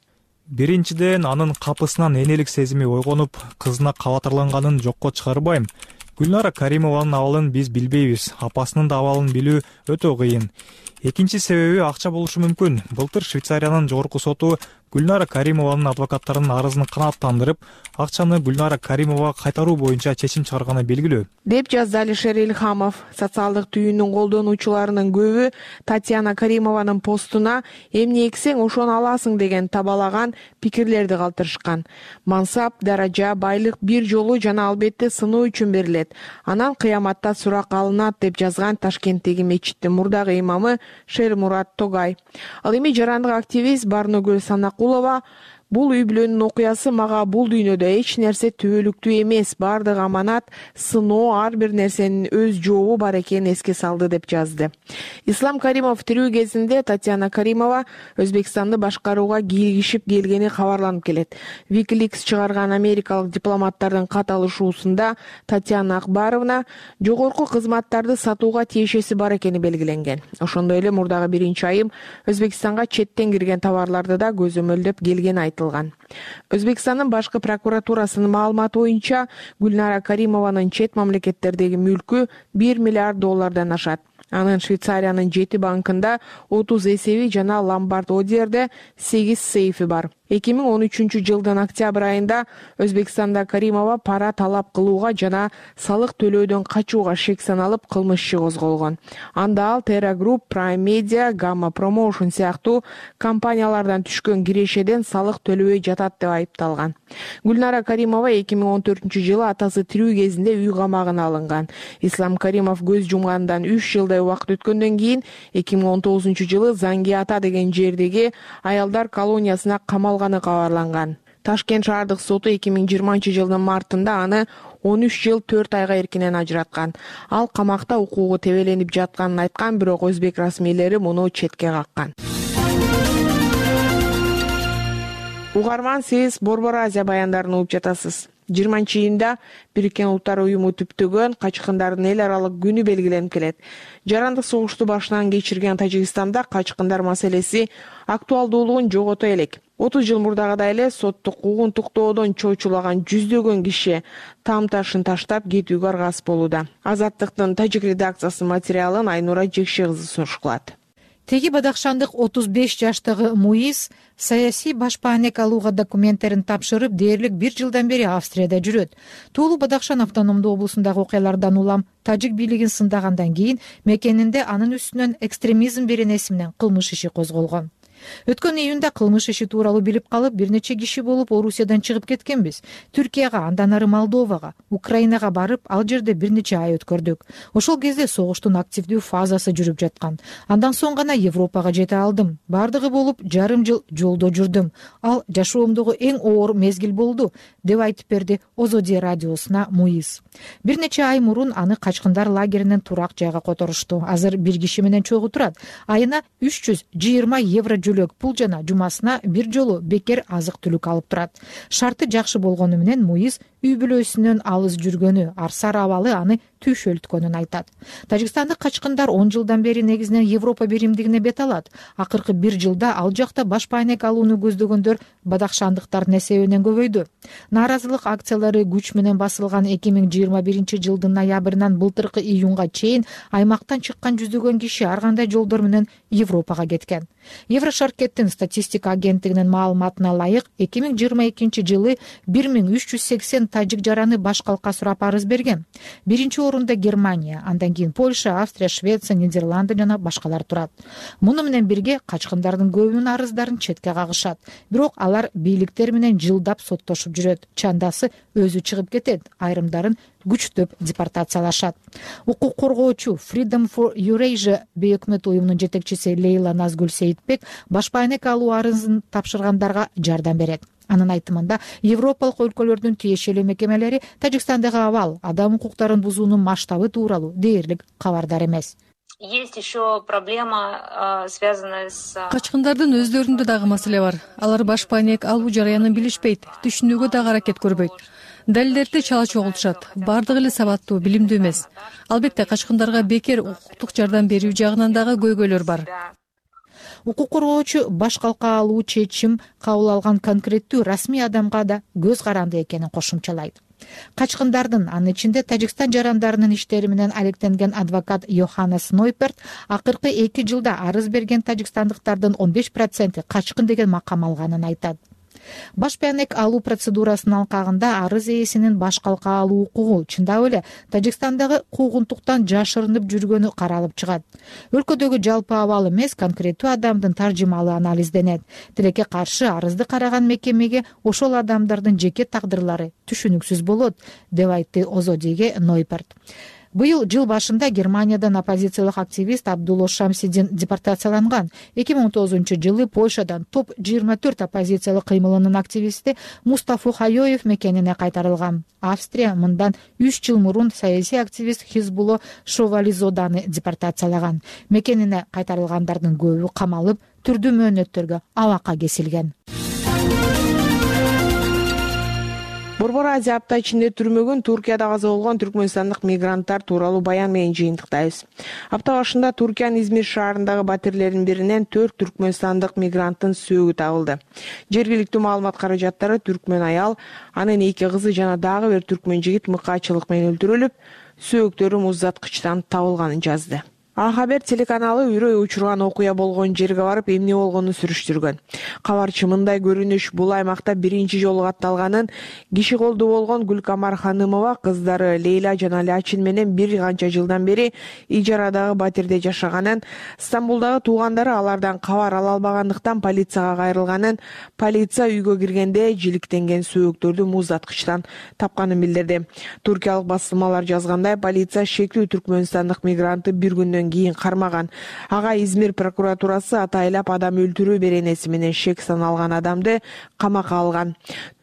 Биринчиден, анын капысынан энелик сезими ойгонуп, кызына кабатырланганын жокко чыгарбайм. Гүлнара Каримованын абалын биз билбейбиз, апасынын да абалын билүү өтө кыйын. Экинчи себеби акча болушу мүмкүн. Былтыр Швейцариянын жогорку соту Гүлнара Каримованын адвокаттарынын арызын канааттандырып, акчаны Гүлнара Каримовага кайтаруу боюнча чечим чыгарганы белгилүү, деп жазды Алишер Илхамов. Социалдык түйүнүн колдонуучуларынын көбү Татьяна Каримованын постуна эмне эксең ошону аласың деген табалаган пикирлерди калтырышкан. Мансап, даража, байлык бир жолу жана албетте сыноо үчүн берилет. Анан кыяматта сурак алынат, деп жазган Ташкенттеги мечиттин мурдагы имамы Шермурат Тогай. Ал эми жарандык активист Барногүл Санакулова бул үй бүлөнүн окуясы мага бул дүйнөдө эч нерсе түбөлүктүү эмес, бардыгы аманат, сыноо, ар бир нерсенин өз жообу бар экенин эске салды, деп жазды. Ислам Каримов тирүү кезинде Татьяна Каримова Өзбекстанды башкарууга киргишип келгени кабарланып келет. Wikileaks чыгарган америкалык дипломаттардын кат алышуусунда Татьяна Акбаровна жогорку кызматтарды сатууга тиешеси бар экени белгиленген. Ошондой эле мурдагы биринчи айым Өзбекстанга четтен кирген товарларды да көзөмөлдөп келгени айтылган. Өзбекстандын башкы прокуратурасынын маалыматы боюнча Гүлнара Каримованын чет мамлекеттердеги мүлкү $1 миллиард ашат. Анын Швейцариянын 7 банкында 30 эсеби жана Ломбард Одерде 8 сейфи бар. 2013 жылдын октябрь айында Өзбекстанда Каримова пара талап кылууга жана салык төлөөдөн качууга шек саналып кылмыш иши козголгон. Анда ал Terra Group, Prime Media, Gamma Promotion сыяктуу компаниялардан түшкөн кирешеден салык төлөбөй жатат деп айыпталган. Гүлнара Каримова 2014 жылы атасы тирүү кезинде үй камагына алынган. Ислам Каримов көз жумгандан 3 жылдай убакыт өткөндөн кийин 2019 жылы Занги Ата деген жердеги аялдар колониясына камалганы кабарланган. Ташкент шаардык соту 2020 жылдын мартында аны 13 жыл 4 айга эркинен ажыраткан. Ал камакта укугу тебеленип жатканын айткан, бирок өзбек расмийлери муну четке каккан. Угарман, сиз Борбор Азия баяндарын угуп жатасыз. 20-июнда Бириккен Улуттар Уюму түптөгөн качкындардын эл аралык күнү белгиленип келет. Жарандык согушту башынан кечирген Тажикстанда качкындар маселеси актуалдуулугун жогото элек. 30 жыл мурдагыдай эле соттук куугунтуктоодон чочулаган жүздөгөн киши там-ташын таштап кетүүгө аргасыз болууда. Азаттыктын тажик редакциясынын материалын Айнура Жекше кызы сунушталат. Теги бадахшандык 35 жаштагы Муиз саясий башпаанек алууга документтерин тапшырып, дээрлик 1 жылдан бери Австрияда жүрөт. Туулуу Бадахшан автономдуу облусундагы окуялардан улам тажик бийлигин сындагандан кийин мекенинде анын үстүнөн экстремизм беренеси менен кылмыш иши козголгон. Өткөн июнда кылмыш иши тууралуу билип калып, бир нече киши болуп Орусиядан чыгып кеткенбиз. Түркияга, андан ары Молдовага, Украинага барып, ал жерде бир нече ай өткөрдүк. Ошол кезде согуштун активдүү фазасы жүрүп жаткан. Андан соң гана Европага жете алдым. Бардыгы болуп жарым жыл жолдо жүрдүм. Ал жашоомдогу эң оор мезгил болду, деп айтып берди Озоди радиосуна Муиз. Бир нече ай мурун аны качкындар лагеринен турак жайга которушту. Азыр бир киши менен чогуу турат. Айына 320 евро жөлөк пул жана жумасына бир жолу бекер азык-түлүк алып турат. Шарты жакшы болгону менен Муиз үй бүлөсүнөн алыс жүргөнү, арсар абалы аны түйшөлткөнүн айтат. Тажикстандык качкындар 10 жылдан бери негизинен Европа биримдигине бет алат. Акыркы 1 жылда ал жакта башпаанек алууну көздөгөндөр бадахшандыктардын эсебинен көбөйдү. Нааразылык акциялары күч менен басылган 2021 жылдын ноябрынан былтыркы июнга чейин аймактан чыккан жүздөгөн киши ар кандай жолдор менен Европага кеткен. Еврошаркеттин статистика агенттигинин маалыматына ылайык 2022 жылы 1380 тажик жараны баш калка сурап арыз берген. Биринчи орунда Германия, андан кийин Польша, Австрия, Швеция, Нидерланды жана башкалар турат. Муну менен бирге качкындардын көбүнүн арыздарын четке кагышат. Бирок алар бийликтер менен жылдап соттошуп жүрөт. Чандасы өзү чыгып кетет, айрымдарын күчтөп депортациялашат. Укук коргоочу Freedom for Eurasia бейөкмөт уюмунун жетекчиси Лейла Назгүл Сейитбек баш байнек алуу арызын тапшыргандарга жардам берет. Анын айтымында, Европалык өлкөлөрдүн тиешелүү мекемелери Тажикстандагы абал, адам укуктарын бузуунун масштабы тууралуу дээрлик кабардар эмес. Есть еще проблема, связанная с... Качкындардын өздөрүндө дагы маселе бар. Алар баш пайнек алуу жараянын билишпейт, түшүнүүгө дагы аракет көрбөйт. Далилдерди чала чогултушат. Бардыгы эле сабаттуу, билимдүү эмес. Албетте качкындарга бекер укуктук жардам берүү жагынан дагы көйгөйлөр бар. Укук коргоочу баш калка алуу чечим кабыл алган конкреттүү расмий адамга да көз каранды экенин кошумчалайт. Качкындардын, анын ичинде Тажикстан жарандарынын иштери менен алектенген адвокат Йоханнес Нойперт акыркы 2 жылда арыз берген тажикстандыктардын 15% качкын деген макам алганын айтат. Баш пайнек алуу процедурасынын алкагында арыз ээсинин баш калка алуу укугу чындап эле Тажикстандагы куугунтуктан жашырынып жүргөнү каралып чыгат. Өлкөдөгү жалпы абал эмес, конкреттүү адамдын таржымалы анализденет. Тилекке каршы арызды караган мекемеге ошол адамдардын жеке тагдырлары түшүнүксүз болот, деп айтты Озодиге Нойперт. Быйыл жыл башында Германиядан оппозициялык активист Абдулло Шамсидин депортацияланган. 2019-жылы Польшадан топ 24 оппозициялык кыймылынын активисти Мустафа Хайоев мекенине кайтарылган. Австрия мындан 3 жыл мурун саясий активист Хизбулло Шовализоданы депортациялаган. Мекенине кайтарылгандардын көбү камалып, түрдүү мөөнөттөргө абакка кесилген. Борбор Азия апта ичинде түрмөгүн Туркияда каза болгон түркмөнстандык мигранттар тууралуу баян менен жыйынтыктайбыз. Апта башында Туркиянын Измир шаарындагы батирлердин биринен 4 түркмөнстандык мигранттын сөөгү табылды. Жергиликтүү маалымат каражаттары түркмөн аял, анын 2 кызы жана дагы бир түркмөн жигит мыкаачылык менен өлтүрүлүп, сөөктөрү муздаткычтан табылганын жазды. А-хабер телеканалы үрөй учурган окуя болгон жерге барып эмне болгонун сүрүштүргөн. Кабарчы мындай көрүнүш бул аймакта биринчи жолу катталганын, киши колдуу болгон Гүлкамар Ханымова кыздары Лейла жана Лачин менен бир канча жылдан бери ижарадагы батирде жашаганын, Стамбулдагы туугандары алардан кабар ала албагандыктан полицияга кайрылганын, полиция үйгө киргенде жиликтенген сөөктөрдү муздаткычтан тапканын билдирди. Туркиялык басылмалар жазгандай, полиция шектүү түркмөнстандык мигрантты бир күндөн кийин кармаган. Ага Измир прокуратурасы атайлап адам өлтүрүү беренеси менен шек саналган адамды камакка алган.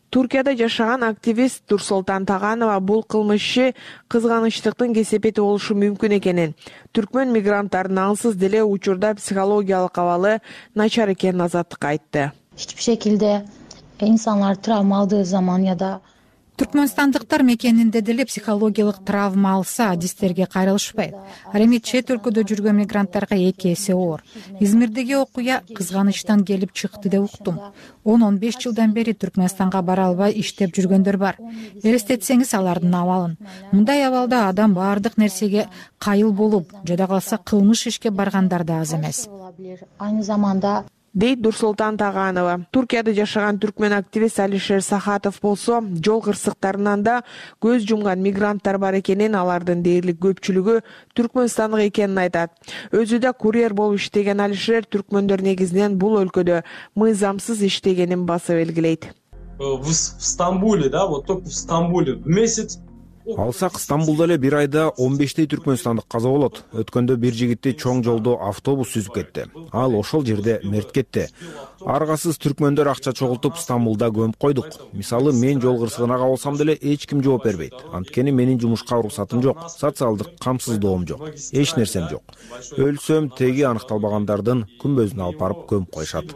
Туркияда жашаган активист Турсултан Таганова бул кылмышчы кызганычтыктын кесепети болушу мүмкүн экенин, түркмөн мигранттардын ансыз деле учурда психологиялык абалы начар экенин Азаттыкка айтты. Hiçbir şekilde insanlar travma aldığı zaman ya da Түркмөнстандыктар мекенинде деле психологиялык травма алса, адистерге кайрылышпайт. Ал эми чет өлкөдө жүргөн мигранттарга 2 эсе оор. Измирдеги окуя кызганычтан келип чыкты деп уктум. 10-15 жылдан бери Түркмөнстанга бара албай иштеп жүргөндөр бар. Элестетсеңиз алардын абалын. Мындай абалда адам баардык нерсеге кайыл болуп, жада калса кылмыш ишке баргандар да аз эмес. Aynı zamanda дейт Дурсултан Таганова. Туркияда жашаган түркмөн активист Алишер Сахатов болсо, жол кырсыктарынан да көз жумган мигранттар бар экенин, алардын дээрлик көпчүлүгү түркмөнстандык экенин айтат. Өзү да курьер болуп иштеген Алишер түркмөндөр негизинен бул өлкөдө мыйзамсыз иштегенин басып белгилейт. В Стамбуле, да, вот только в Стамбуле в месяц Алсак Стамбулда эле бир айда 15 түркмөнстандык каза болот. Өткөндө бир жигитти чоң жолдо автобус сүзүп кетти. Ал ошол жерде мерт кетти. Аргасыз түркмөндөр акча чогултуп Стамбулда көмүп койдук. Мисалы, мен жол кырсыгына кабылсам деле эч ким жооп бербейт. Анткени менин жумушка уруксатым жок, социалдык камсыздоом жок, эч нерсем жок. Өлсөм теги аныкталбагандардын күмбөзүнө алып барып көмүп коюшат.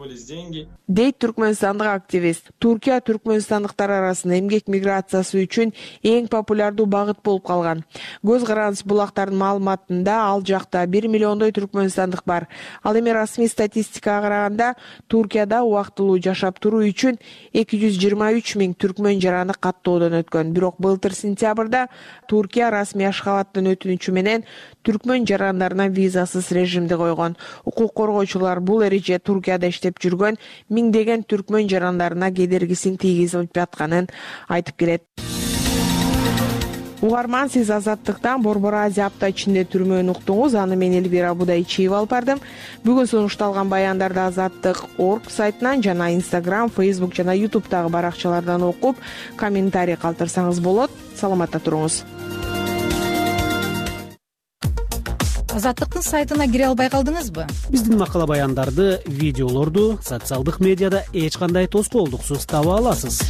Дейт түркмөнстандык активист. Туркия түркмөнстандыктар арасында эмгек миграциясы үчүн эң популярдуу багыт болуп калган. Көз карандыс булактардын маалыматында ал жакта 1 миллиондой түркмөнстандык бар. Ал эми расмий статистикага караганда Туркияда убактылуу жашап туруу үчүн 223 000 түркмөн жараны каттоодон өткөн. Бирок былтыр сентябрда Туркия расмий Ашхабадтын өтүнүчү менен түркмөн жарандарына визасыз режимди койгон. Укук коргоочулар бул эреже Туркияда иштеп жүргөн миңдеген түркмөн жарандарына кедергисин тийгизип жатканын айтып келет. угарман, сиз Азаттыктан Борбор Азия апта ичинде түрмөнү уктуңуз. Аны мен Элвира Будайчиева алып бардым. Бүгүн сунушталган баяндарды Азаттык.org сайтынан жана Instagram, Facebook жана YouTube'дагы баракчалардан окуп, комментарий калтырсаңыз болот. Саламатта туруңуз. Азаттыктын сайтына кире албай калдыңызбы? Биздин макала баяндарды, видеолорду социалдык медиада эч кандай тоскоолдуксуз таба аласыз.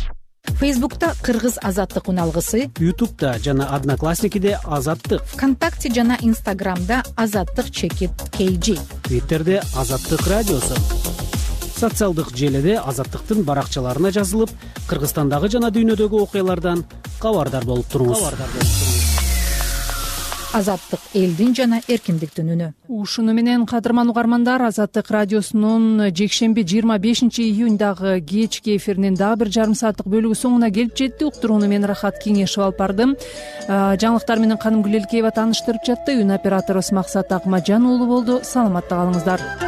Фейсбукта Кыргыз Азаттык уналгысы, Ютубта жана Одноклассникиде Азаттык, ВКонтакте жана Инстаграмда Азаттык чекит KG, Твиттерде Азаттык радиосу. Социалдык желеде Азаттыктын баракчаларына жазылып, Кыргызстандагы жана дүйнөдөгү окуялардан кабардар болуп туруңуз. Азаттык элдин жана эркиндиктин үнү. Ушуну менен кадырман угармандар, Азаттык радиосунун жекшемби 25-июньдагы кечки эфиринин дагы бир жарым сааттык бөлүгү соңуна келип жетти. Уктурууну мен Рахат Кеңешев алып бардым. Жаңылыктар менен Каным Гүлелкеева тааныштырып жатты. Үн операторубуз Максат Акмаджан уулу болду. Саламатта калыңыздар.